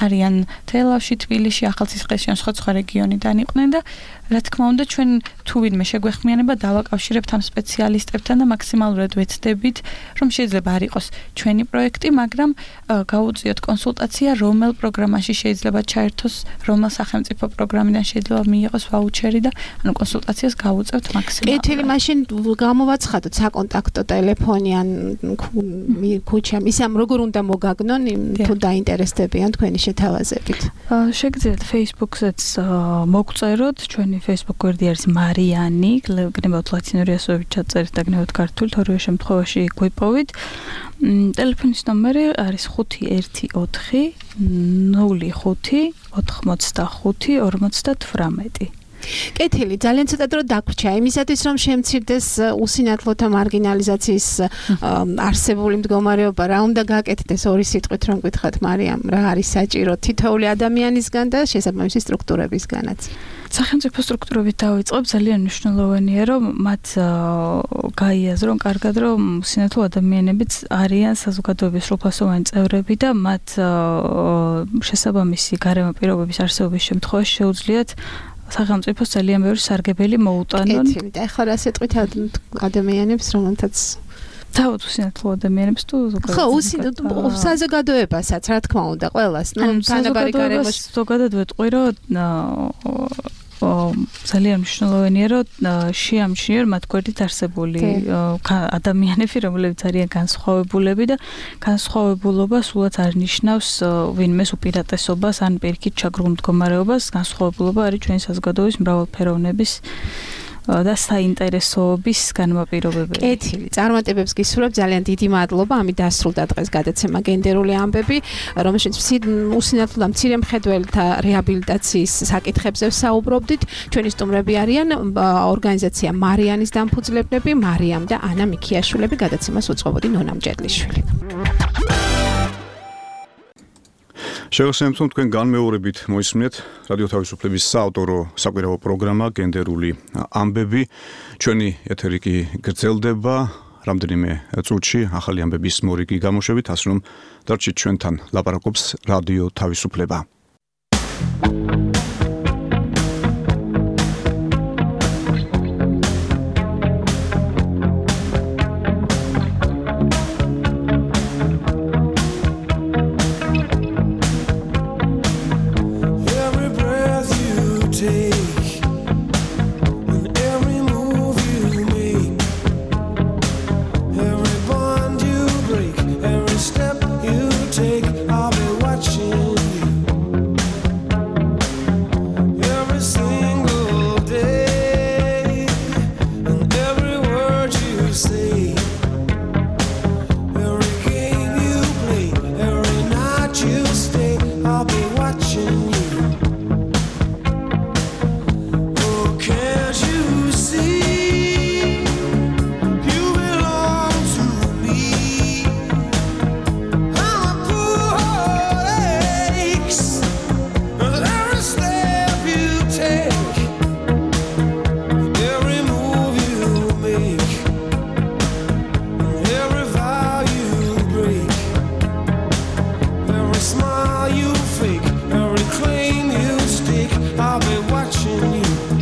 Speaker 6: არიან თელავში, თბილისში, ახალციხეში, ან სხვა სხვა რეგიონიდან იყვნენ და რა თქმა უნდა ჩვენ თუ ვინმე შეგვეხმიანება დავაკავშირებთ ამ სპეციალისტებთან და მაქსიმალურად ვეცდებით, რომ შეიძლება არ იყოს ჩვენი პროექტი, მაგრამ გაუწიოთ კონსულტაცია, რომელ პროგრამაში შეიძლება ჩაერთოს, რომელ სახელმწიფო პროგრამიდან შეიძლება მიიღოს ვაუჩერი და ანუ კონსულტაციას გავუწევთ მაქსიმალურად.
Speaker 3: კეთილი, მაშინ გამოვაცხადოთ საკონტაქტო ტელეფონი ან ქუჩა, ისე როგორ უნდა მოგაგნონ თუ დაინტერესდებიან თქვენი შეთავაზებით.
Speaker 5: შეგიძლიათ Facebook-ზეც მოგწეროთ, ჩვენი Facebook გვერდი არის მარიანი, გნებავთ ლათინური ასოებით ჩაწერით და გნებავთ ქართულით, ორივე შემთხვევაში გვიპოვით. ტელეფონის ნომერი არის ხუთი ერთი ოთხი ნული ხუთი ოთხმოცდახუთი ორმოცდათვრამეტი.
Speaker 3: კეთილი, ძალიან ცოტა დრო დაგვრჩა იმისათვის, რომ შემცირდეს უსინათლოთა მარგინალიზაციის არსებული მდგომარეობა, რა უნდა გაკეთდეს ორი სიტყვით რომ გითხრათ მარიამ, რა არის საჭირო თითოეული ადამიანისგან და შესაბამისი სტრუქტურებისგანაც.
Speaker 5: სახელმწიფო სტრუქტურებით დავიწყებ, ძალიან მნიშვნელოვანია, რომ მათ გაიაზრონ კარგად, რომ უსინათლო ადამიანებიც არიან საზოგადოების სრულფასოვანი წევრები და მათ შესაბამისი გარემო პირობების არსებობის შემთხვევაში შეუძლიათ სახელმწიფოს ძალიან ბევრი სარგებელი მოუტანონ.
Speaker 3: კეთილი, და ახლა რა სიტყვით ადამიანებს, რომელთაც
Speaker 5: თავად უსინათლო ადამიანებს თუ
Speaker 3: ზოგადად. ხო, უსინათლო საზოგადოებასაც, რა თქმა უნდა, ყველას, ნუ თანაბარი გარემოში
Speaker 5: ზოგადად ვეტყვი, რომ ძალიან მნიშვნელოვანია, რომ შეამჩნიონ მათ გვერდით არსებული ადამიანები, რომლებიც არიან განსხვავებულები და განსხვავებულობა სულაც არ ნიშნავს ვინმეს უპირატესობას ან პირიქით ჩაგრულ მდგომარეობას, განსხვავებულობა არის ჩვენი საზოგადოების მრავალფეროვნების და საინტერესოების განმაპირობებელი.
Speaker 3: კეთილი, წარმატებებს გისურვებ, ძალიან დიდი მადლობა. ამით დასრულდა დღეს გადაცემა გენდერული ამბები, რომელშიც უსინათლო და მცირე მხედველთა რეაბილიტაციის საკითხებზე საუბრობდით. ჩვენი სტუმრები არიან ორგანიზაცია მარიანის დამფუძნებლები, მარიამ და ანა მიქიაშვილები, გადაცემას უწყობოდი ნონა მჭედლიშვილი.
Speaker 2: შევახსენებთ, რომ თქვენ განმეორებით მოისმინეთ რადიო თავისუფლების საავტორო საკვირაო პროგრამა გენდერული ამბები. ჩვენი ეთერი კი გრძელდება რამდენიმე წუთში ახალი ამბების მორიგი გამოშვებით, ასე რომ დარჩით ჩვენთან, ლაპარაკობს რადიო თავისუფლება.
Speaker 8: Smile you fake, every claim you stick, I'll be watching you.